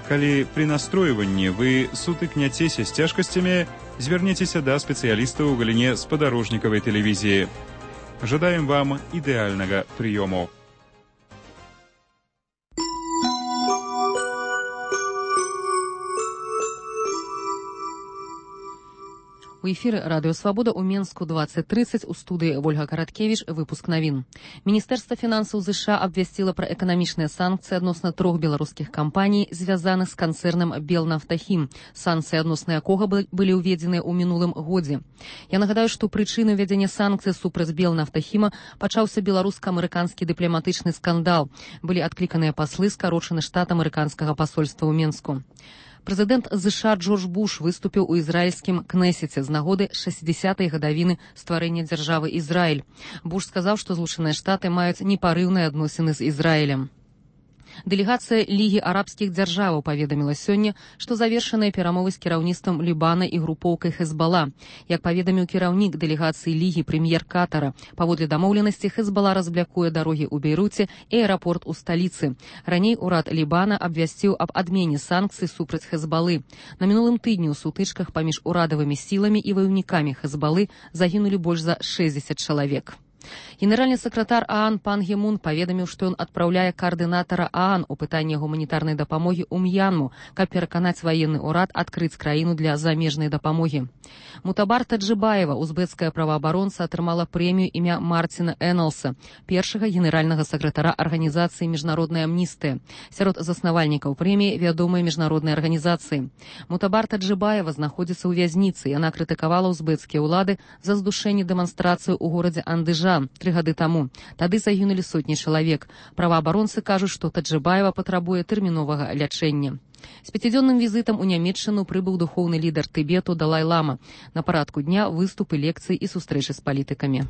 [SPEAKER 7] Калі пры настройванні вы сутыкняцеся з цяжкасцямі, звярніцеся да спецыялістаў у галіне спадарожнікавай тэлевізіі. Жадаем вам ідэальнага прыёму.
[SPEAKER 3] У эфіры радыё «Свабода» ў Менску 20:30 у студыі Ольга Караткевіч, выпуск навін. Міністэрства фінансаў ЗША абвясціла пра эканамічныя санкцыі адносна 3 беларускіх кампаній, звязаных з канцэрнам «Белнафтахім», санкцыі адносна якога былі ўведзеныя ў мінулым годзе. Я нагадаю, што прычынай ўвядзення санкцый супраць «Белнафтахіма» пачаўся беларуска-амерыканскі дыпламатычны скандал. Былі адкліканыя паслы, скарочаны штат амерыканскага пасольства ў Менску. Прэзідэнт ЗША Джордж Буш выступіў у ізраільскім Кнесеце з нагоды 60-й гадавіны стварэння дзяржавы Ізраіль. Буш сказаў, што Злучаныя Штаты маюць непарыўныя адносіны з Ізраілем. Дэлегацыя Лігі арабскіх дзяржаваў паведаміла сёння, што завершаныя перамовы з кіраўніцтвам Лібана і групоўкай Хезбала. Як паведаміў кіраўнік дэлегацыі Лігі прэм'ер Катара, паводле дамоўленасці Хезбала разблякуе дарогі ў Бейруце і аэрапорт у сталіцы. Раней урад Лібана абвясціў аб адмене санкцый супраць Хезбалы. На мінулым тыдні ў сутычках паміж урадавымі сіламі і ваяўнікамі Хезбалы загінулі больш за 60 чалавек. Генеральны сакратар ААН Пан Гі Мун паведаміў, што ён адпраўляе каардынатара ААН у пытанні гуманітарнай дапамогі ў М'янму, каб пераканаць ваенны ўрад адкрыць краіну для замежнай дапамогі. Мутабар Таджибаева, узбекская праваабаронца, атрымала прэмію імя Мартина Эннелса, першага генеральнага сакратара арганізацыі «Міжнародная амністыя». Сярод заснавальнікаў прэміі вядомыя міжнародныя арганізацыі. Мутабар Таджибаева знаходзіцца ў вязніцы. Яна крытыкавала узбекскія ўлады за здушэнне дэманстрацыю ў горадзе Андыжан 3 гады таму. Тады загінулі сотні чалавек. Праваабаронцы кажуць, што Таджибаева патрабуе тэрміновага лячэння. З 5-дзённым візітам у Нямецчыну прыбыў духоўны лідар Тыбету Далай-лама. На парадку дня выступы, лекцыі і сустрэчы з палітыкамі.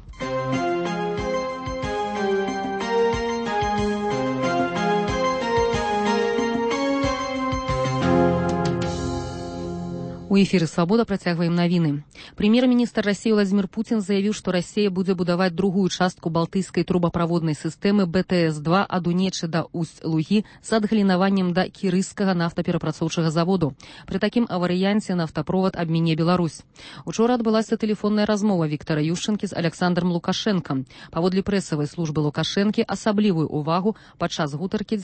[SPEAKER 3] У эфіры «Свабода» працягваем навіны. Прэм'ер-міністр Расіі Владзімір Пуцін заявіў, што Расія будзе будаваць другую частку балтыйскай трубаправоднай сістэмы БТС-2 ад Унечы да Усть-Лугі з адгалінаваннем да кірыйскага нафтаперапрацоўчага заводу. Пры такім варыянце нафтаправод абміне Беларусь. Учора адбылася тэлефонная размова Віктара Юшчэнкі з Аляксандрам Лукашэнкам. Паводле прэсавай службы Лукашэнкі асаблівую ўвагу падчас гутаркі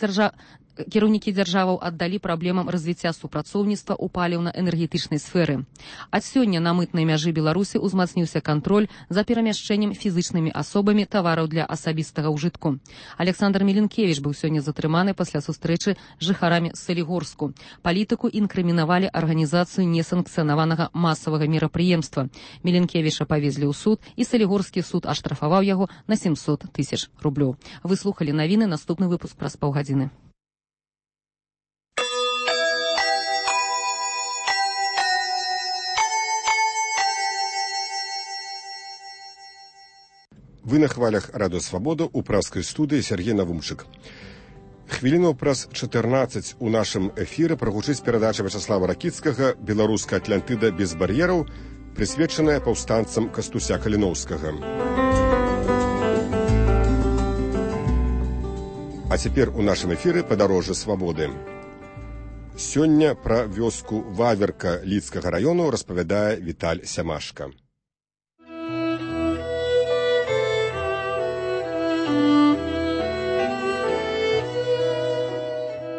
[SPEAKER 3] кіраўнікі дзяржаваў аддалі праблемам развіцця супрацоўніцтва ў паліўна-энергетычнай сферы. Ад сёння на мытнай мяжы Беларусі ўзмацніўся кантроль за перамяшчэннем фізычнымі асобамі тавараў для асабістага ўжытку. Александр Меленкевіч быў сёння затрыманы пасля сустрэчы з жыхарамі Салігорску. Палітыку інкрымінавалі арганізацыю несанкцыянаванага масавага мерапрыемства. Меленкевіча павезлі ў суд, і Салігорскі суд аштрафаваў яго на 700 000 рублёў. Вы слухалі навіны, наступны выпуск праз паўгадзіны.
[SPEAKER 1] Вы на хвалях радыё «Свабода» у пражскай студыі Сергей Навумчык. Хвілінаў праз 14 у нашым эфіры прагучыць перадача Вячаслава Ракіцкага «Беларуская Атлантыда без бар'ераў», прысвечаная паўстанцам Кастуся Каліноўскага. А цяпер у нашым эфіры «Падарожжа свабоды». Сёння пра вёску Ваверка Лідскага раёну распавядае Віталь Сямашка.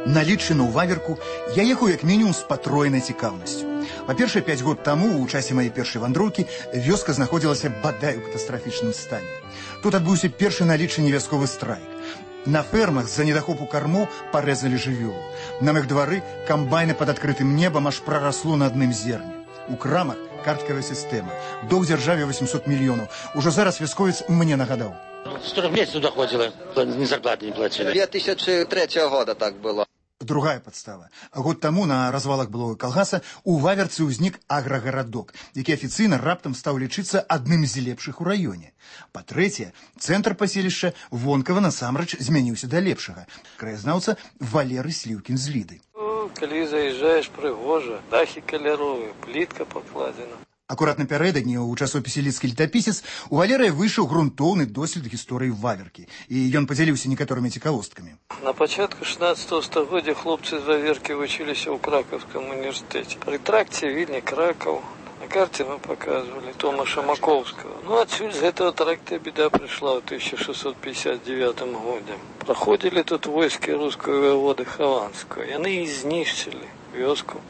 [SPEAKER 8] На Лідчыну ў Ваверку я ехаў як мінімум з патройнай цікаўнасцю. Па-першае, 5 год таму, у часе маёй першай вандроўкі, вёска знаходзілася бадай у катастрафічным стане. Тут адбыўся першы на Лідчыне вясковы страйк. На фермах з-за недахопу кармоў парэзалі жывёлу. На мых двары камбайны пад адкрытым небам аж прарасло на адным зерне. У крамах карткавая сістэма. Доўг дзяржаве 800 мільёнаў. Ужо зараз вясковец мне нагадаў.
[SPEAKER 9] 40 месяцев доходило, ни зарплаты не платили.
[SPEAKER 10] 2003 года так было.
[SPEAKER 8] другая подстава. Год таму на развалах былога калгаса у Ваверцы ўзнік аграгарадок, які афіцыйна раптам стаў лічыцца адным з лепшых у раёне. Па-трэцяе, цэнтр паселішча вонкава насамрэч змяніўся да лепшага. Краязнаўца Валерый Сліўкін з Ліды.
[SPEAKER 9] Калі заезжаешь, прыгожа, дахі каляровыя, плітка пакладзена.
[SPEAKER 8] Акурат напярэдадні ў часопісе «Лідскі летапісец» у Валерыя выйшаў грунтоўны дослед гісторыі Ваверкі, і ён падзяліўся некаторымі цікавосткамі.
[SPEAKER 9] На пачатку 16 стагоддзя хлопцы з Ваверкі вучыліся ў Кракаўскім універсітэце. Пры тракце Вільня Кракаў. На карте мы показывали Томаша Маковского. Ну, отсюда с этого тракта беда пришла в 1659 году. Проходили тут войски русского воеводы Хованского, и они изнищили вёску.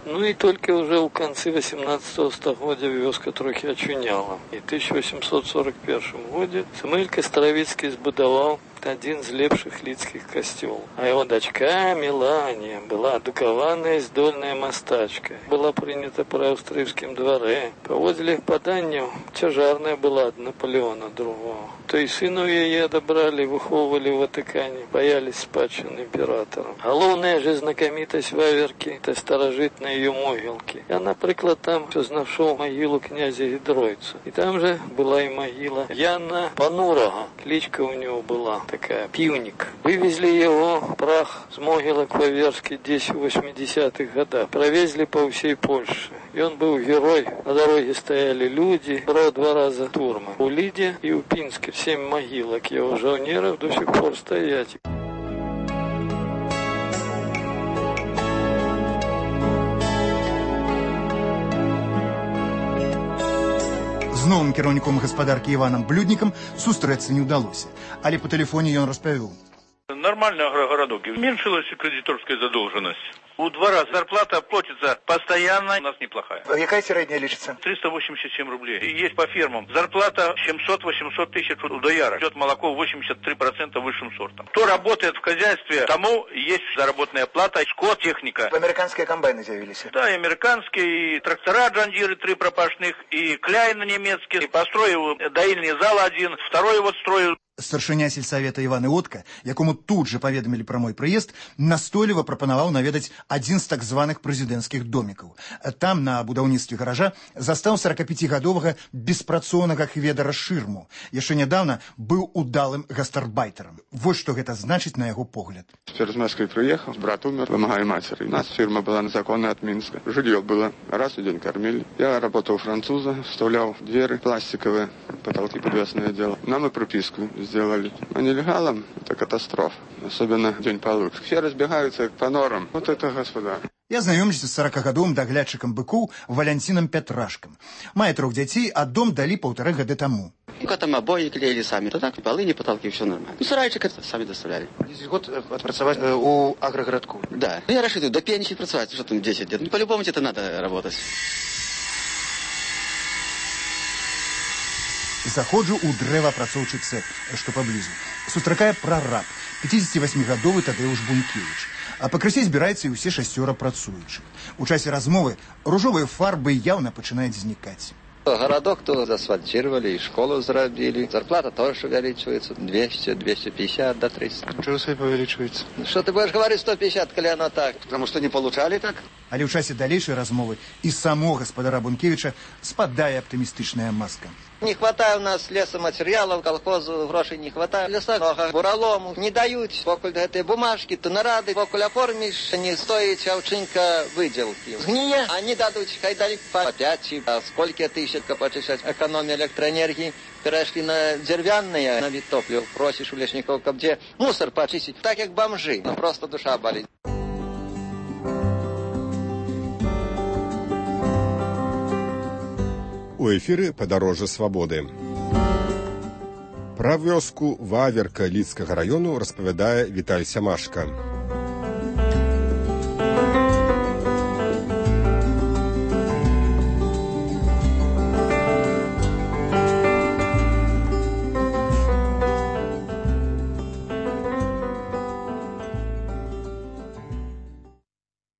[SPEAKER 9] Ну и только уже в конце 18 стагоддзя вёска трохи очуняла. И в 1841 году Самуэль Кастравіцкі збудаваў один з лепшых лідскіх касцёлаў. А его дочка Мелания была адукаваная здольная мастачка. Была прынята пры аўстрыйскім дварэ. Паводле паданняў цяжарная была ад Наполеона II. То і сыну яе адабралі, выхоўвалі ў Ватыкане, баялись спадчыны імператора. Галоўная же знакамітасць Ваверкі — это старажытныя ее могілкі. Я, напрыклад, там знайшоў магілу князя Гідройца. І там же была і магіла Яна Панурага. Кличка у него была такая, Пивник. Вывезли его, прах с могилок Ваверски, здесь в 80-х годах. Провезли по всей Польше. И он был герой. На дороге стояли люди. Брал 2 раза турмы. У Лиде и у Пинске 7 могилок его жаунеров до сих пор стоять.
[SPEAKER 8] З новым кіраўніком гаспадаркі Іванам Блюднікам сустрэцца не ўдалося, але по тэлефоне ён распавёў.
[SPEAKER 10] Нормальный агрогородок. Уменьшилась кредиторская задолженность. У 2 раза зарплата платится постоянно, у нас неплохая.
[SPEAKER 8] Какая средняя лечится?
[SPEAKER 10] 387 рублей. И есть по фермам. Зарплата 700-800 тысяч у дояра. Идет молоко 83% высшим сортом. Кто работает в хозяйстве, тому есть заработная плата, скот, техника.
[SPEAKER 8] Американские комбайны заявились?
[SPEAKER 10] Да, и американские, и трактора Джандиры 3 пропашных, и Кляйна немецкие. И построил доильный зал 1, второй вот строил.
[SPEAKER 8] Старшыня сельсавета Іван Іотка, якому тут же паведамілі пра мой прыезд, настойліва прапанаваў наведаць адзін з так званых прэзідэнцкіх домікаў. Там, на будаўніцтве гаража, застаў 45-гадовага беспрацоўнага хведара Шырму. Яшчэ нядаўна быў удалым гастарбайтарам. Вось што гэта значыць на яго погляд.
[SPEAKER 11] Теперь из Москвы приехал, брат умер, помогаю матери. У нас фирма была незаконная от Минска. Жилье было, раз в день кормили. Я работал у француза, вставлял двери пластиковые, потолки подвесное дело. Нам и прописку сделали. А нелегалам это катастрофа. Особенно день получше. Все разбегаются по норам. Вот это господа.
[SPEAKER 8] Я знаёмлюся з 40-гадовым даглядчыкам быкоў Валянцінам Пятрашкам. Мае 3 дзяцей, а дом далі 1,5 гады таму.
[SPEAKER 12] Там обои клеили сами, то так, полы, не потолки, все нормально. Ну, сарайчик это сами доставляли.
[SPEAKER 8] 10 год отпрацевать у агрогородку?
[SPEAKER 12] Да. Я рассчитываю, до пенсии працевать, что там 10 лет. Ну, по-любому это надо работать.
[SPEAKER 8] Заходжу у дрэваапрацоўчы цэх, што паблізу. Сустракае прараб, 58-гадовы Тадеуш Бункевіч. А пакрысе збіраецца і ўсе 6 працуючых. У часе размовы ружовыя фарбы яўна пачынаюць знікаць.
[SPEAKER 13] Городок то асфальтировали, и школу зарабили. Зарплата тоже увеличивается. 200, 250 до 300.
[SPEAKER 8] Чего себе увеличивается?
[SPEAKER 13] Что ты будешь говорить 150, коли оно так? Потому что не получали так.
[SPEAKER 8] Але ў часе далейшай размовы і само гаспадара Бункевіча спадае аптымістычная маска.
[SPEAKER 13] Не хватает у нас лесоматериалов, колхозу грошей не хватает. Леса много, буралому не дают. Покуль этой бумажки, то нарады, покуль оформишь, не стоит чавчинка выделки. Сгния, они дадут, хай дали по 5, а сколько тысяч почищать экономия электроэнергии. Перешли на деревянные, на вид топлива. Просишь у лесников, где мусор почистить. Так как бомжи, но просто душа болит.
[SPEAKER 1] У эфіры «Падарожжа свабоды». Пра вёску Ваверка Лідскага раёну распавядае Віталь Сямашка.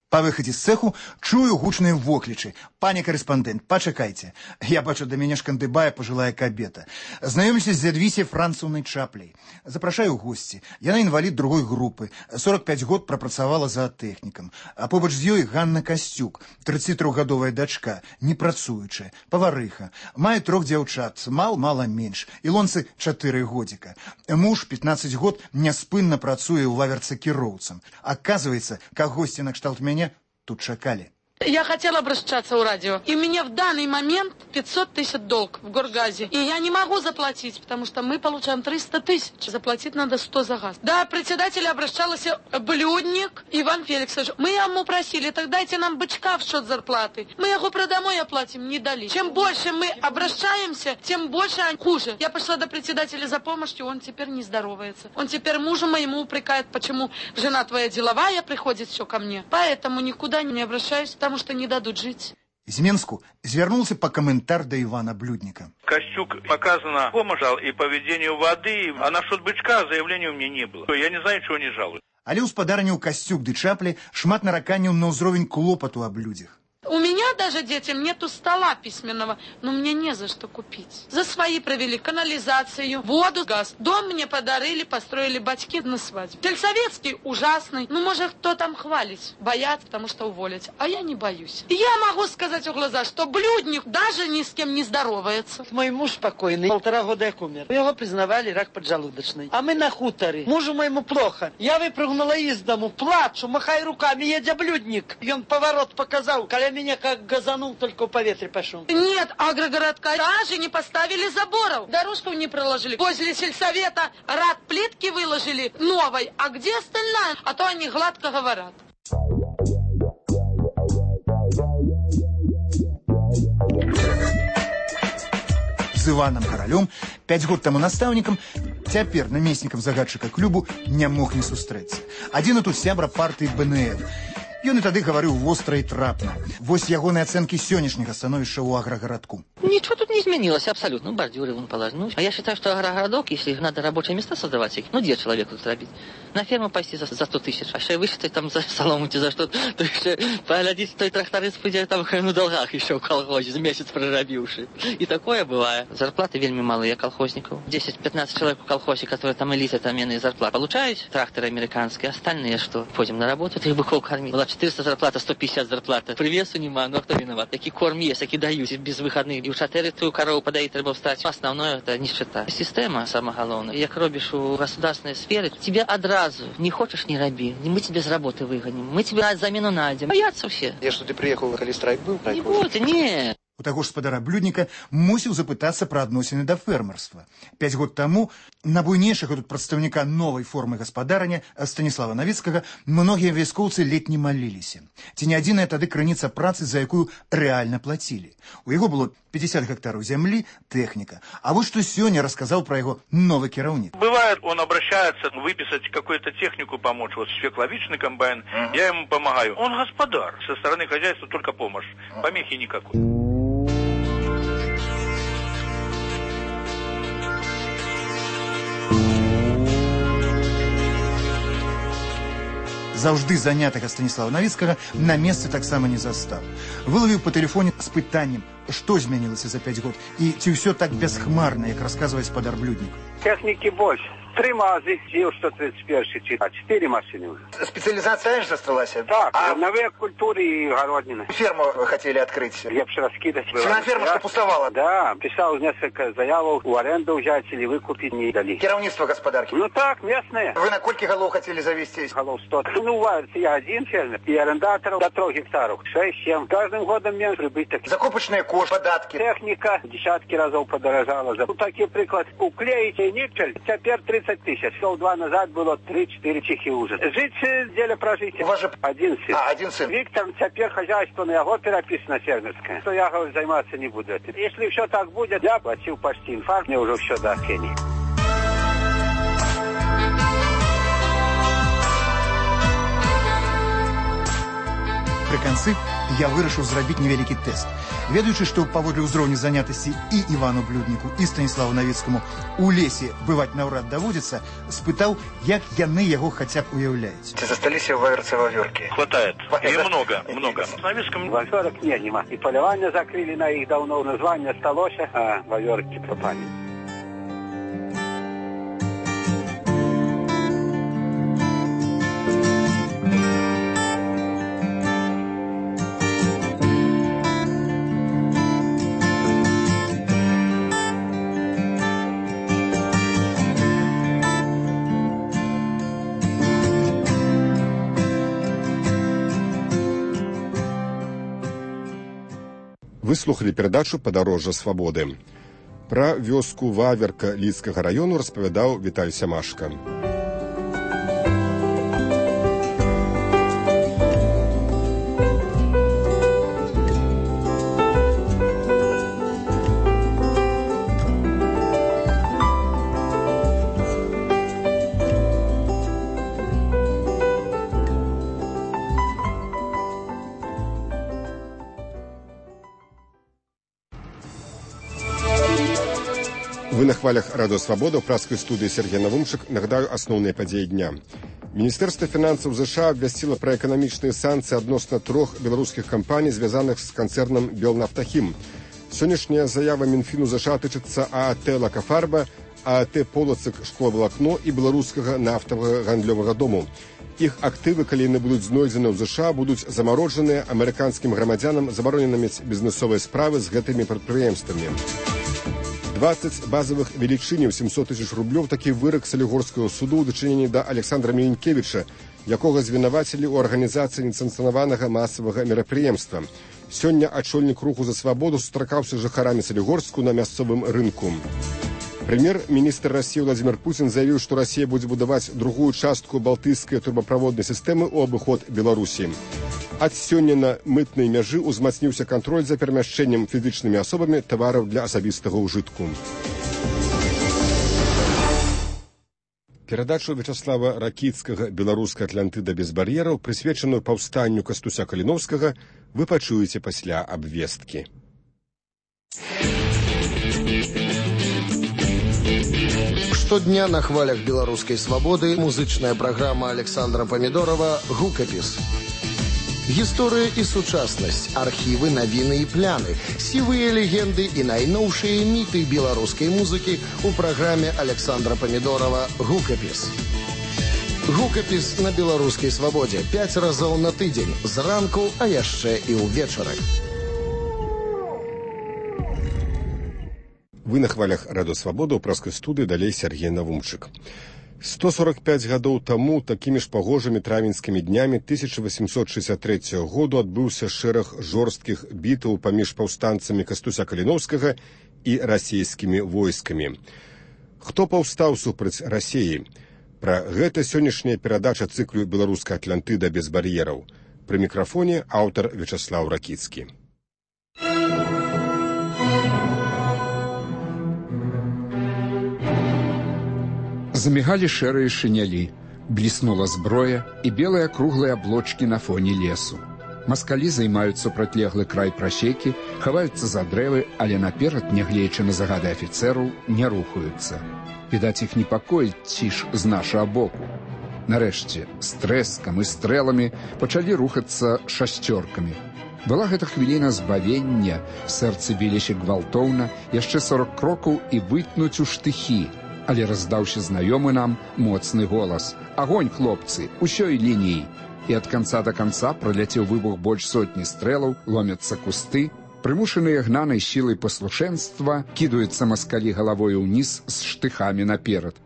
[SPEAKER 8] Па выхадзе з цэху чую гучныя воклічы. Пане карэспандэнт, пачакайце. Я бачу, да мяне шкандыбае пажылая кабета. Знаёмлюся з Зядвісей Францаўнай Чапляй. Запрашаю ў госці. Яна інвалід другой групы. 45 год прапрацавала заатэхнікам. А побач з ёй Ганна Касцюк, 33-гадовая дачка, непрацуючая, паварыха. Мае 3 дзяўчат, мала менш. Ілонцы 4 годзіка. Муж 15 год няспынна працуе ў лаверцы кіроўцам. Оказывается, как гости на кшталт меня тут чакали.
[SPEAKER 24] Я хотела обращаться в радио, и у меня в данный момент 500 тысяч долг в Горгазе. И я не могу заплатить, потому что мы получаем 300 тысяч. Заплатить надо 100 за газ. Да, председатель обращался Блюдник Иван Феликсович. Мы ему просили, так дайте нам бычка в счет зарплаты. Мы его продомой оплатим, не дали. Чем больше мы обращаемся, тем больше хуже. Я пошла до председателя за помощью, он теперь не здоровается. Он теперь мужу моему упрекает, почему жена твоя деловая, приходит все ко мне. Поэтому никуда не обращаюсь, потому что не дадут жить.
[SPEAKER 8] З Менску звярнулся по комментар до Ивана Блюдника.
[SPEAKER 10] Костюк показана помощь и по ведению воды, а насчет бычка заявления у меня не было. Я не знаю, чего не жалуюсь.
[SPEAKER 8] Але ўспадарніў Касцюк ды Чаплі шмат нараканняў на ўзровень клопату аб людзях.
[SPEAKER 24] У меня даже детям нету стола письменного, но мне не за что купить. За свои провели канализацию, воду, газ. Дом мне подарили, построили батьки на свадьбе. Сельсоветский ужасный. Ну, может, кто там хвалить? Боятся, потому что уволить. А я не боюсь. Я могу сказать в глаза, что Блюдник даже ни с кем не здоровается.
[SPEAKER 14] Мой муж покойный, 1,5 года как умер. Его признавали рак поджелудочный. А мы на хуторе. Мужу моему плохо. Я выпрыгнула из дому, плачу, махаю руками, едя Блюдник. И он поворот показал, коля меня как газанул, только в поветре пошел.
[SPEAKER 24] Нет, агрогородка даже не поставили заборов. Дорожку не проложили. Возле сельсовета рад плитки выложили новой. А где остальная? А то они гладко говорят.
[SPEAKER 8] З Іваном Каралём, 5 год таму настаўнікам, цяпер намеснікам загадчыка клубу не мог не сустрэцца. Адзін тут сябра партыі БНФ. Ён і тады гаварыў востра і трапна. Вось ягоныя ацэнкі сённяшняга становішча ў аграгарадку.
[SPEAKER 15] Ничего тут не изменилось абсолютно. Бордюры вон положены. Ну, а я считаю, что агрогородок, если надо рабочие места создавать, ну, где человеку тут робить? На ферму пойти за 100 тысяч, а еще высчитать там за солому, за что, то еще поглядеть, той тракторист пойдет там на долгах еще в колхозе, за месяц проробивший. И такое бывает. Зарплаты вельми малые колхозников. 10-15 человек в колхозе, которые там элиты, там иные зарплаты получают, тракторы американские, остальные что? Ходим на работу, их быков кормить. Была 400 зарплата, 150 зарплата. Привесу нема, ну а кто виноват? Такие корм есть, такие дают, без выходных. И у шатери твою корову подоить треба встать. Основное это нищета. Система самое главное. Як робишь у государственной сферы, тебе одразу не хочешь, не роби. Мы тебя с работы выгоним. Мы тебе замену найдем. Боятся все.
[SPEAKER 16] Я что, ты приехал, коли страйк был?
[SPEAKER 15] Не будет, не.
[SPEAKER 8] У таго ж спадара Блюдніка мусіў запытацца пра адносіны да фермерства. 5 год таму на буйнейшага тут прадстаўніка новай формы гаспадарання Станіслава Навіцкага многія вяскоўцы ледь не маліліся. Ці не адзіная тады крыніца працы, за якую рэальна плацілі. У яго было 50 гектараў зямлі, тэхніка. А вот што сёння расказаў пра яго новы кіраўнік.
[SPEAKER 10] Бывает, он обращается выписать какую-то технику, помочь. Вот свекловичный комбайн, я ему помогаю. Он господар. Со стороны хозяйства только помощь. Помехи никакой.
[SPEAKER 8] Заўжды занятага Станіслава Навіцкага на месцы таксама не застаў. Вылавіў па тэлефоне з пытаннем, што змянілася за 5 год і ці ўсё так бясхмарна, як расказвае спадар Блюднік.
[SPEAKER 17] Техники больше. 3 мазы, ЗИЛ 131 читать. 4 машины уже.
[SPEAKER 16] Специализация же засталась?
[SPEAKER 17] Так, зерновые культуры и огороднины.
[SPEAKER 16] Ферму хотели открыть.
[SPEAKER 17] Лепше раскидать.
[SPEAKER 16] На ферму, что пустовала?
[SPEAKER 17] Да, писал несколько заявок, в аренду взять или выкупить, не дали.
[SPEAKER 16] Керовництво господарки?
[SPEAKER 17] Ну так, местные.
[SPEAKER 16] Вы на сколько голов хотели завести?
[SPEAKER 17] Голов 100. Ну, варится я один фермер, и арендаторов до 3 гектаров. 6-7. Каждым годом меньше прибыток.
[SPEAKER 16] Закупочные кошки, податки.
[SPEAKER 17] Техника десятки разов подорожала. Ну, такие приклад. Уклеить и никель. Теперь 30 тысяч. Шел 2 назад было 3-4 чихи уже. Жить деле прожить.
[SPEAKER 16] У вас же
[SPEAKER 17] один сын.
[SPEAKER 16] Один сын.
[SPEAKER 17] Виктор, теперь хозяйство на его переписано фермерское. Что я, говорю, заниматься не буду этим. Если все так будет, я платил почти инфаркт, мне уже все до Кении.
[SPEAKER 8] Пры канцы я вырашыў зрабіць невялікі тэст. Ведаючы, што паводле ўзроўню занятасці і Івану Блюдніку, і Станіславу Навіцкаму у лесе бываць наўрад даводзіцца, спытаў, як яны яго хаця б уяўляюць.
[SPEAKER 16] Ці засталіся ў ваверцы вавёркі?
[SPEAKER 10] Хватает. И много. С Навицким...
[SPEAKER 17] Вавёрок нема. И полевание закрыли на их давно, название сталося, а вавёрки пропали.
[SPEAKER 1] Вы слухали перадачу «Падарожжа свабоды». Пра вёску Ваверка Лідскага раёну распавядаў Віталь Сямашка. Вы на хвалях Радио Свобода, в пражской студии Сергей Навумчик. Нагадаю основные подеи дня. Министерство финансов США обвестило про экономичные санкции относно 3 белорусских компаний, связанных с концерном «Белнафтахим». Сегодняшняя заява Минфину США тычится ААТ «Лакафарба», ААТ «Полоцк шкловолокно» и белорусского нафтового гандлёвого дому. Их активы, коли не будут знойдены в США, будут заморожены американским громадянам, забороненными бизнесовые справы с гэтыми предприемствами. 20 базовых велічыняў 700 тысяч рублёў такі вырак Салігорскага суду ў дачыненні да Александра Мілінкевіча, якога звінавацілі ў арганізацыі несанкцыянаванага масавага мерапрыемства. Сёння ачольнік руху за свабоду сустракаўся з жыхарамі Салігорску на мясцовым рынку. Прэм'ер-міністр Расіі Владзімір Пуцін заявіў, што Расія будзе будаваць другую частку балтыйскай турбаправоднай сістэмы ў абыход Беларусі. Ад сёння на мытнай мяжы ўзмацніўся кантроль за перамяшчэннем фізічнымі асобамі тавараў для асабістага ўжытку. Перадачу Вячаслава Ракіцкага «Беларуская Атлантыда без бар'ераў», прысвечаную паўстанню Кастуся Каліноўскага, вы пачуеце пасля абвесткі.
[SPEAKER 5] Штодня на хвалях беларускай свабоды музычная праграма Александра Памідорова «Гукапіс». Гісторыя і сучаснасць, архівы, навіны і пляны, сівыя легенды і найноўшыя міты беларускай музыкі ў праграме Александра Памідорова «Гукапіс». Гукапіс на беларускай свабодзе 5 разоў на тыдзень, зранку, а яшчэ і ўвечары.
[SPEAKER 1] Вы на хвалях Радио Свобода, у пражской студии далей Сергей Навумчик. 145 гадоў таму такімі ж пагожымі травеньскімі днямі 1863 году адбыўся шэраг жорсткіх бітаў паміж паўстанцамі Кастуся Каліноўскага і расійскімі войскамі. Хто паўстаў супраць Расіі? Пра гэта сённяшняя перадача цыклю «Беларуская Атлантыда без бар'ераў». Пры мікрафоне аўтар Вячаслаў Ракіцкі.
[SPEAKER 6] Замигали шэрыя шинели, блеснула зброя и белые круглые облачки на фоне лесу. Маскалі займаюць супрацьлеглы край прасекі, хаваюцца за дрэвы, але наперад, нягледзячы на загады афіцэраў, не рухаюцца. Відаць, іх непакоіць ціш з нашага боку. Нарэшце, з трэскам і стрэламі пачалі рухацца шасцёркамі. Была гэта хвіліна збавення, сэрцы біліся гвалтоўна, яшчэ 40 крокаў і вытнуць у штыхі. Але раздаўся знаёмы нам моцны голас. Агонь, хлопцы, усёй лініі. І ад канца да канца праляцеў выбух больш сотні стрэлаў, ломяцца кусты. Прымушаныя гнанай сілай паслушэнства кідаюцца маскалі галавою ўніз з штыхамі наперад.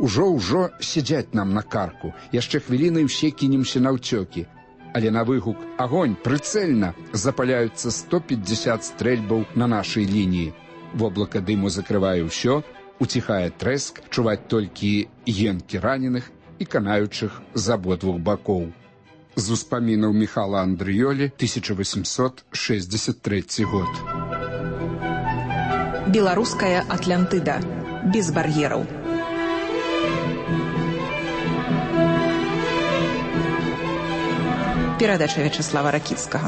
[SPEAKER 6] Ужо сядзяць нам на карку. Яшчэ хвілінай усе кінемся на ўцёкі. Але на выгук «Агонь, прыцэльна!» запаляюцца 150 стрэльбаў на нашай лініі. Воблака дыму закрывае ўсё, уціхае трэск, чуваць толькі енкі раненых і канаючых з абодвух бакоў. З успамінаў Міхала Андрыёлі, 1863 год.
[SPEAKER 18] Беларуская Атлантыда. Без бар'ераў. Перадача Вячеслава Ракіцкага.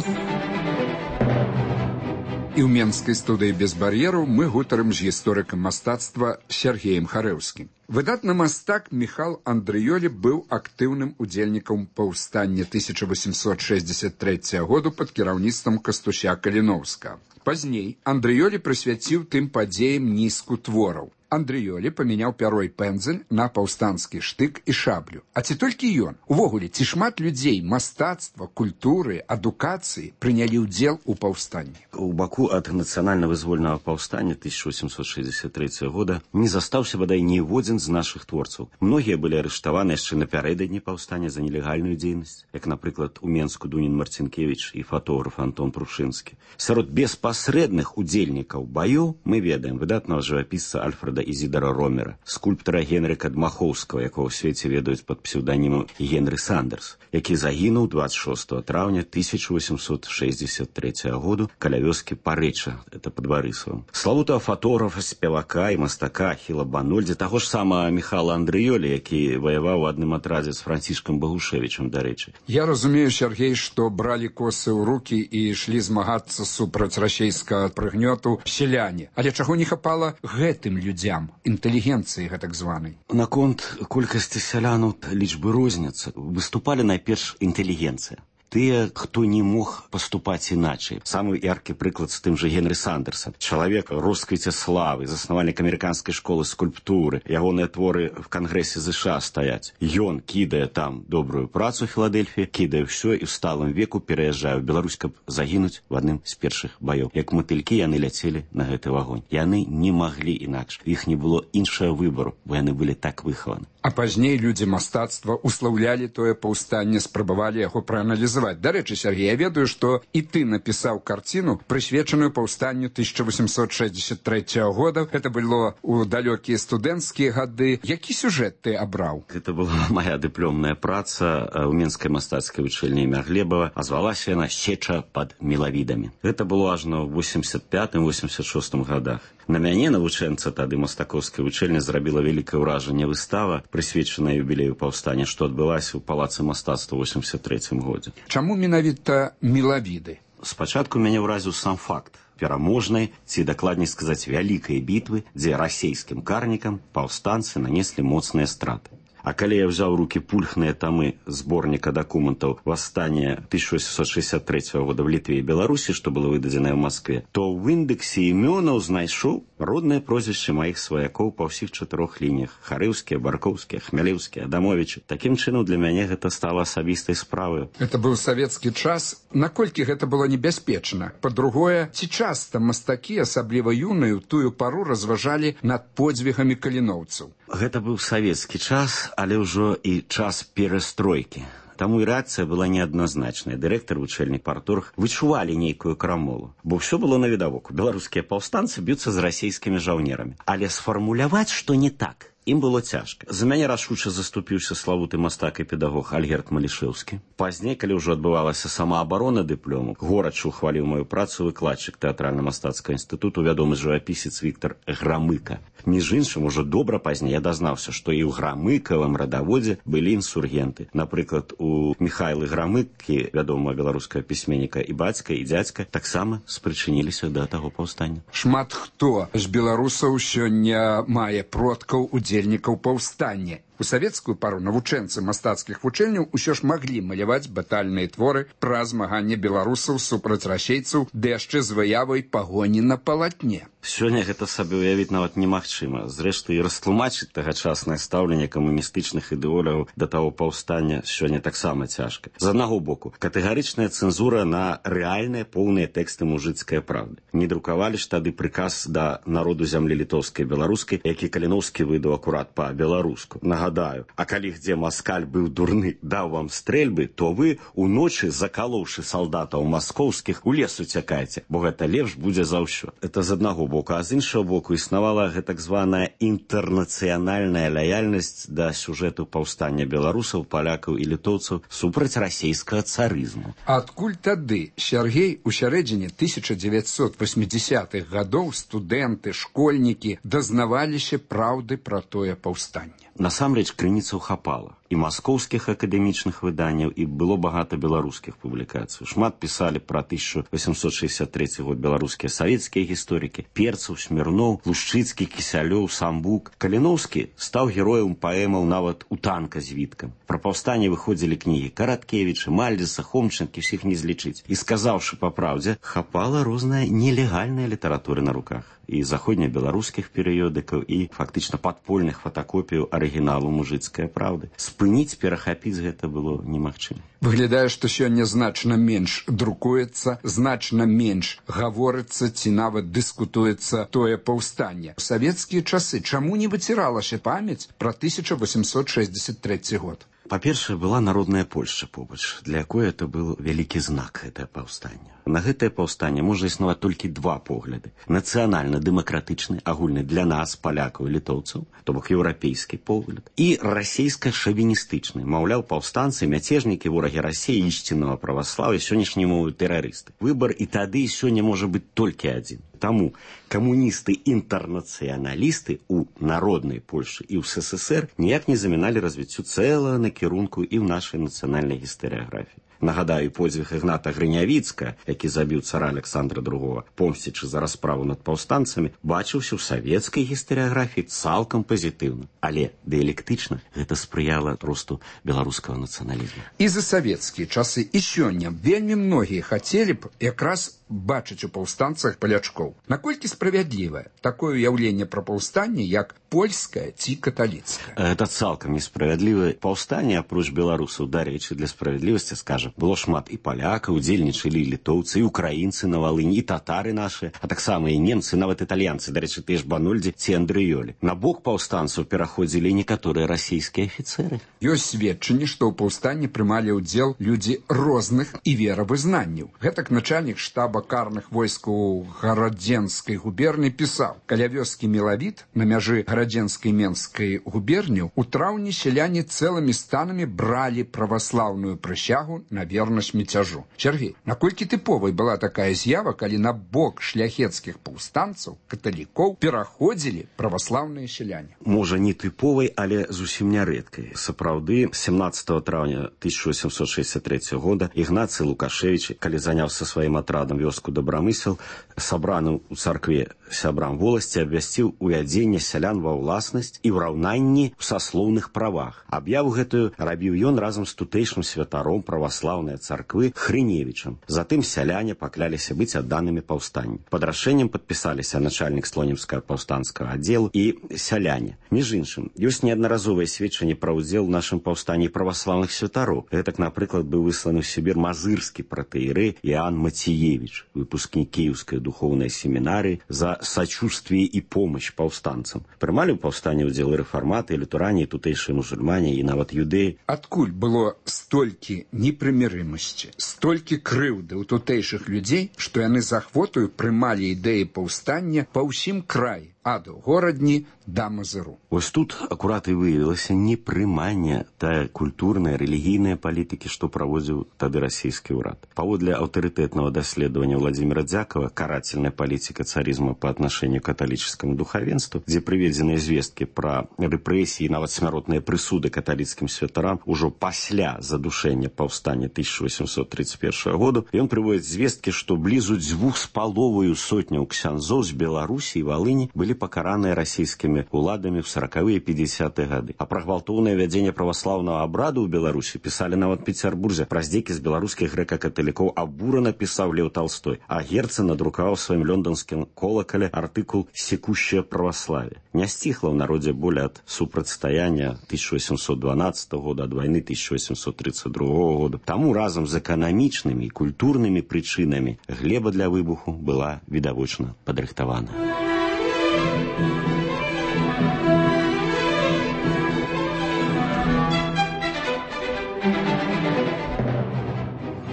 [SPEAKER 6] І ў менскай студыі без бар'ераў мы гутарым з гісторыкам мастацтва Сергеем Харэўскім. Выдатны мастак Міхал Андрыёлі быў актыўным удзельнікам паўстання 1863 году пад кіраўніцтвам Кастуся Каліноўскага. Пазней Андрыёлі прысвяціў тым падзеям нізку твораў. Андрыёлі памяняў пяро і пэндзель на паўстанскі штык і шаблю. А ці толькі ён? Увогуле, ці шмат людзей мастацтва, культуры, адукацыі прынялі ўдзел у паўстанні?
[SPEAKER 2] У Баку ад нацыянальна-вызвольнага паўстання 1863 года не застаўся бадай ніводзін з нашых творцаў. Многія былі арыштаваны яшчэ напярэдадні паўстання за нелегальную дзейнасць, як, напрыклад, у Менску Дунін Марцінкевіч і фотограф Антон Прушынскі. Сярод беспасрэдных удзельнікаў баёў мы ведаем выдатнага жывапісца Альфреда Ізідара Ромера, скульптара Генрыка Дмахоўскага, якого ў свеце ведаюць пад псеўданімам Генры Сандерс, які загінуў 26 траўня 1863 году каля вёскі Парэча, это пад Барысавам. Славутага фотографа, спевака і мастака Ахіла Банольдзі, таго ж самага Міхала Андрыёлі, які ваяваў у адным атрадзе з Францішкам Багушевічам, дарэчы.
[SPEAKER 6] Я разумею, Сергей, што бралі косы ў рукі і ішлі змагацца супраць расейскага прыгнёту сяляне. Але чаго не хапала гэтым людзям, інтэлігенцыі гэтак званай?
[SPEAKER 2] Наконт колькасці сялянаў лічбы розняцца. Выступалі найперш інтэлігенцыя. Тыя, хто не мог паступаць іначай. Самы яркі прыклад з тым жа Генры Сандерса. Чалавека росквіце славы, заснавальнік амерыканскай школы скульптуры. Ягоныя творы в Кангрэсе ЗША стаяць. Ён кідае там добрую працу ў Філадельфіі, кідае ўсё і ў сталым веку пераязджае ў Беларусь, каб загінуць в адным з першых баёў. Як матылькі яны ляцелі на гэты вагонь. Яны не маглі інакш. Іх не было іншага выбару, бо яны былі так выхаваны.
[SPEAKER 6] А пазней людзі мастацтва услаўлялі тое паўстанне, спрабавалі яго прааналізаваць. Дарэчы, Сергей, я ведаю, што і ты напісаў карціну, прысвечаную паўстанню 1863 года. Гэта было ў далёкія студэнцкія гады. Які сюжэт ты абраў?
[SPEAKER 2] Гэта была моя дыпломная праца ў Менскай мастацкай вучэльні імя Глебава, а звалася яна «Сеча пад мелавідамі». Гэта было ажно ў 85-86 годах. На мяне, навучэнца тады мастакоўскай вучэльні, зрабіла вялікае ўражанне выстава, прысвечаная юбілею паўстання, што адбылася ў палацы мастацтва ў 83 годзе.
[SPEAKER 6] Чаму менавіта мелавіды?
[SPEAKER 2] Спачатку мяне ўразіў сам факт пераможнай, ці дакладней сказаць, вялікай бітвы, дзе расейскім карнікам паўстанцы нанеслі моцныя страты. А калі я взяў у рукі пульхныя тамы зборніка дакументаў «Восстання 1863 года в Літве і Беларусі», што было выдадзенае ў Маскве, то ў індэксе імёнаў знайшоў родныя прозвішчы маіх сваякоў па ўсіх 4 лініях. Харэўскія, Баркоўскія, Хмялеўскія, Адамовічы. Такім чынам для мяне гэта стала асабістай справай.
[SPEAKER 6] Гэта быў савецкі час. Наколькі гэта было небяспечна? Па-другое, ці часта мастакі, асабліва юныя, у тую пару разважалі над подзвігамі каліноўцаў?
[SPEAKER 2] Гэта быў савецкі час, але ўжо і час перастройкі. Таму і рэакцыя была неадназначная. Дырэктар, вучэльнік, парторг вычувалі нейкую крамолу. Бо ўсё было навідавоку. Беларускія паўстанцы б'юцца з расейскімі жаўнерамі. Але сфармуляваць, што не так, ім было цяжка. За мяне рашуча заступіўся славуты мастак і педагог Альгерд Малішэўскі. Пазней, калі ўжо адбывалася самаабарона дыплому, горача ухваліў маю працу выкладчык тэатральна-мастацкага інстытуту, вядомы жывапісец Віктар Грамыка. Між іншым, ужо добра пазней я дазнаўся, што і ў Грамыкавым радаводзе былі інсургенты. Напрыклад, у Міхайлы Грамыкі, вядомага беларускага пісьменніка, і бацька, і дзядзька таксама спрычыніліся да таго паўстання.
[SPEAKER 6] Шмат хто з беларусаў сёння мае продкаў удзельнікаў паўстання. У савецкую пару навучэнцы мастацкіх вучэльняў усё ж маглі маляваць батальныя творы пра змаганне беларусаў супраць расейцаў, ды яшчэ з выявай пагоні на палатне.
[SPEAKER 2] Сёння гэта сабе ўявіць нават немагчыма. Зрэшты, і растлумачыць тагачаснае стаўленне камуністычных ідэолагаў да таго паўстання сёння таксама цяжка. З аднаго боку, катэгарычная цэнзура на рэальныя поўныя тэксты мужыцкай правды. Не друкавалі ж тады прыказ да народу зямлі літоўскай і беларускай, які Каліноўскі выдаў акурат па-беларуску. Нагадаю, а калі где маскаль быў дурны, даў вам стрэльбы, то вы уночы, закалоўшы салдатаў маскоўскіх, у лес уцякаеце, бо гэта лепш будзе за ўсё. Это з аднаго боку, а з іншага боку існавала гэтак званая інтэрнацыянальная лаяльнасць да сюжэту паўстання беларусаў, палякаў і літоўцаў супраць расейскага царызму.
[SPEAKER 6] Адкуль тады, Сергей, у сярэдзіне 1980-х гадоў студэнты, школьнікі дазнаваліся праўды пра тое паўстанне?
[SPEAKER 2] Насамрэч, крыніцаў хапала. І і маскоўскіх акадэмічных выданняў, і было багата беларускіх публікацый. Шмат пісалі пра 1863 год беларускія савецкія гісторыкі: Перцаў, Смірноў, Лушчыцкі, Кісялёў, Самбук. Каліноўскі стаў героем паэмаў нават у танка з Віткам. Пра паўстанне выходзілі кнігі Караткевіча, Мальдзеса, Хомчынкі, усіх не злічыць. І сказаўшы па праўдзе, хапала розная нелегальная літаратура на руках. І заходнебеларускіх перыёдыкаў, і фактычна падпольных фотакопіяў арыгіналу мужыцкай праўды. Спыніць, перахапіць гэта было немагчыма.
[SPEAKER 6] Выглядае, што сёння значна менш друкуецца, значна менш гаворыцца ці нават дыскутуецца тое паўстанне. У савецкія часы чаму не выціралася памяць пра 1863 год?
[SPEAKER 2] Па-першае, была народная Польшча побач, для якой это быў вялікі знак, гэтае паўстанне. На гэтае паўстанне можа існаваць толькі два погляды. Нацыянальна-дэмакратычны, агульны для нас, палякаў і літоўцаў, то бок еўрапейскі погляд, і расійска-шавіністычны. Маўляў, паўстанцы, мяцежнікі, ворагі Расіі, ісціннага праваслаўя, сённяшнія мовы тэрарысты. Выбар і тады, і сёння можа быць толькі адзін. Таму камуністы-інтэрнацыяналісты у народнай Польшы і ў СССР ніяк не заміналі развіццю цэлага накірунку і ў нашай нацыянальнай гістарыяграфіі. Нагадаю, подзвіг Ігната Грынявіцка, які забіў цара Александра II, помсцячы за расправу над паўстанцамі, бачыўся ў савецкай гістарыяграфіі цалкам пазітыўна. Але дыялектычна гэта спрыяла росту беларускага нацыяналізму.
[SPEAKER 6] І за савецкія часы, і сёння вельмі многія хацелі б якраз бачыць у паўстанцах палячкоў. Наколькі справядлівае такое ўяўленне пра паўстанне, як польскае ці каталіцкае?
[SPEAKER 2] Гэта цалкам несправядлівае. Паўстанне, апроч беларусаў, дарэчы, для справядлівасці, скажам, было шмат і палякаў, удзельнічалі і літоўцы, і украінцы на Валыні, і татары нашы, а таксама і немцы, нават італьянцы, дарэчы, тыя ж Банольдзі ці Андрыёлі. На бок паўстанцаў пераходзілі некаторыя расійскія афіцэры.
[SPEAKER 6] Ёсць сведчанні, што ў паўстанні прымалі ўдзел людзі розных і веравызнанняў. Гэтак начальнік штаба карных войскаў Гарадзенскай губерні пісаў: каля вёскі Мелавіт на мяжы Гарадзенскай і Менскай губерняў у траўні сяляне цэлымі станамі бралі праваслаўную прысягу на вернасць міцяжу. Сергей, наколькі тыповай была такая з'ява, калі на бок шляхецкіх паўстанцаў, каталікоў, пераходзілі праваслаўныя сяляне?
[SPEAKER 2] Можа, не тыповай, але зусім нярэдкай. Сапраўды, 17 траўня 1863 года Ігнацый Лукашевіч, калі заняўся сваім атрадам вёску Добрамысел, сабраным у царкве сябрам воласці, абвясціў увядзенне сялян ва ўласнасць і ўраўнанні ў саслоўных правах. Аб'яву гэтую рабіў ён разам з тутэйшым святаром праваслаўнай царквы Хрыневічам. Затым сяляне пакляліся быць адданымі паўстанню. Пад рашэннем падпісаліся начальнік слонімскага паўстанцкага аддзелу і сяляне. Між іншым, ёсць неаднаразовыя сведчанні пра ўдзел у нашым паўстанні праваслаўных святароў. Гэтак, напрыклад, быў высланы ў Сібір мазырскі пратэірэй Іоанн Мацеевіч, выпускнік Кіеўскай духоўнай семінарыі, за сачувствие і помощь паўстанцам. Прымалі ў паўстанні ўдзел рэфарматы, літурані, тутэйшыя мусульмане і нават юдэі.
[SPEAKER 6] Адкуль было столькі непрымірымасці, столькі крыўды ў тутэйшых людзей, што яны з ахвотаю прымалі ідэі паўстання па ўсім краі, ад горадні да Мазыру?
[SPEAKER 2] Вось тут акурат і выявілася непрыманне тая культурная, рэлігійная палітыкі, што праводзіў тады расійскі ўрад. Паводле аўтарытэтнага даследавання Владимира Дзякова «Карательная политика царизма по отношению к католическому духовенству», дзе прыведзеныя звесткі пра рэпрэсіі, нават смяротныя прысуды каталіцкім святарам ужо пасля задушэння паўстання 1831 году, ён прыводзіць звесткі, што блізу 2,5 сотняў ксяндзоў з Беларусі і Валыні былі пакараныя расійскімі уладамі ў 40-е і 50-е гады. А пра гвалтоўнае вядзенне праваслаўнага абраду ў Беларусі пісалі нават Пецярбурзе. Пра здзекі з беларускіх грэка-каталікоў абурана пісаў Леў Талстой, а Герцен надрукаваў сваім лёнданскім колакале артыкул «Секущее православие». Не сціхла ў народзе боль ад супрацьстаяння 1812 года, ад вайны 1832 года. Таму разам з эканамічнымі і культурнымі прычынамі глеба для выбуху была відавочна падрыхтавана.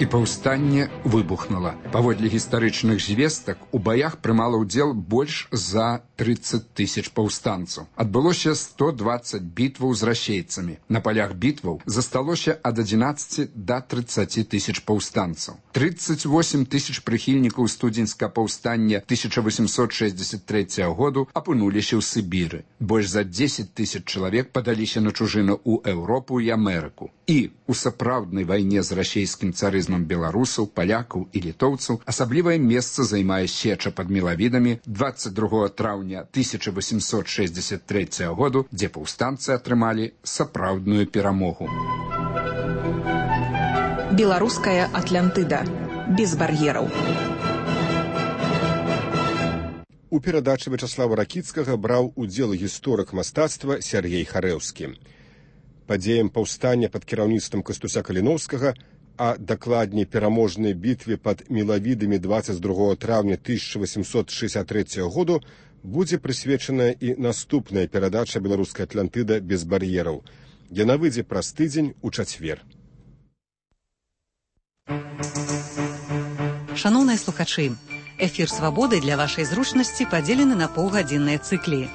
[SPEAKER 6] І паўстанне выбухнула. Паводле гістарычных звестак, у баях прымала ўдзел больш за 30 тысяч паўстанцаў. Адбылося 120 бітваў з расейцамі. На палях бітваў засталося ад 11 до 30 тысяч паўстанцаў. 38 тысяч прыхільнікаў студзеньскага паўстання 1863 году апынуліся ў Сібіры. Больш за 10 тысяч чалавек падаліся на чужыну ў Еўропу і Амерыку. І у сапраўднай вайне з расейскім царызмам беларусаў, палякаў і літоўцаў асаблівае месца займае сеча пад Мелавідамі 22 траўня 1863 году, дзе паўстанцы атрымалі сапраўдную перамогу.
[SPEAKER 18] Беларуская Атлантыда. Без бар'ераў.
[SPEAKER 1] У перадачы Вячаслава Ракіцкага браў удзел гісторык мастацтва Сяргей Харэўскі. Падзеям паўстання пад кіраўніцтвам Кастуся Каліноўскага, а дакладней пераможнай бітве пад Мелавідамі 22 траўня 1863 году будзе прысвечаная і наступная перадача «Беларуская Атлантыда без бар'ераў». Яна выйдзе праз тыдзень у чацвер.
[SPEAKER 19] Шаноўныя слухачы, эфір «Свабоды» для вашай зручнасці падзелены на паўгадзінныя цыклі.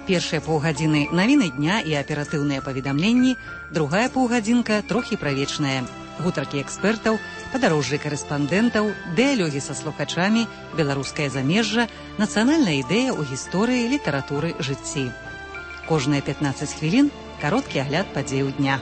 [SPEAKER 19] Першыя паўгадзіны навіны дня і аператыўныя паведамленні, другая паўгадзінка трохі правечная. Гутаркі экспертаў, падарожжы карэспандэнтаў, дыялогі са слухачамі, беларускае замежжа, нацыянальная ідэя ў гісторыі, літаратуры, жыцці. Кожныя 15 хвілін кароткі агляд падзеяў дня.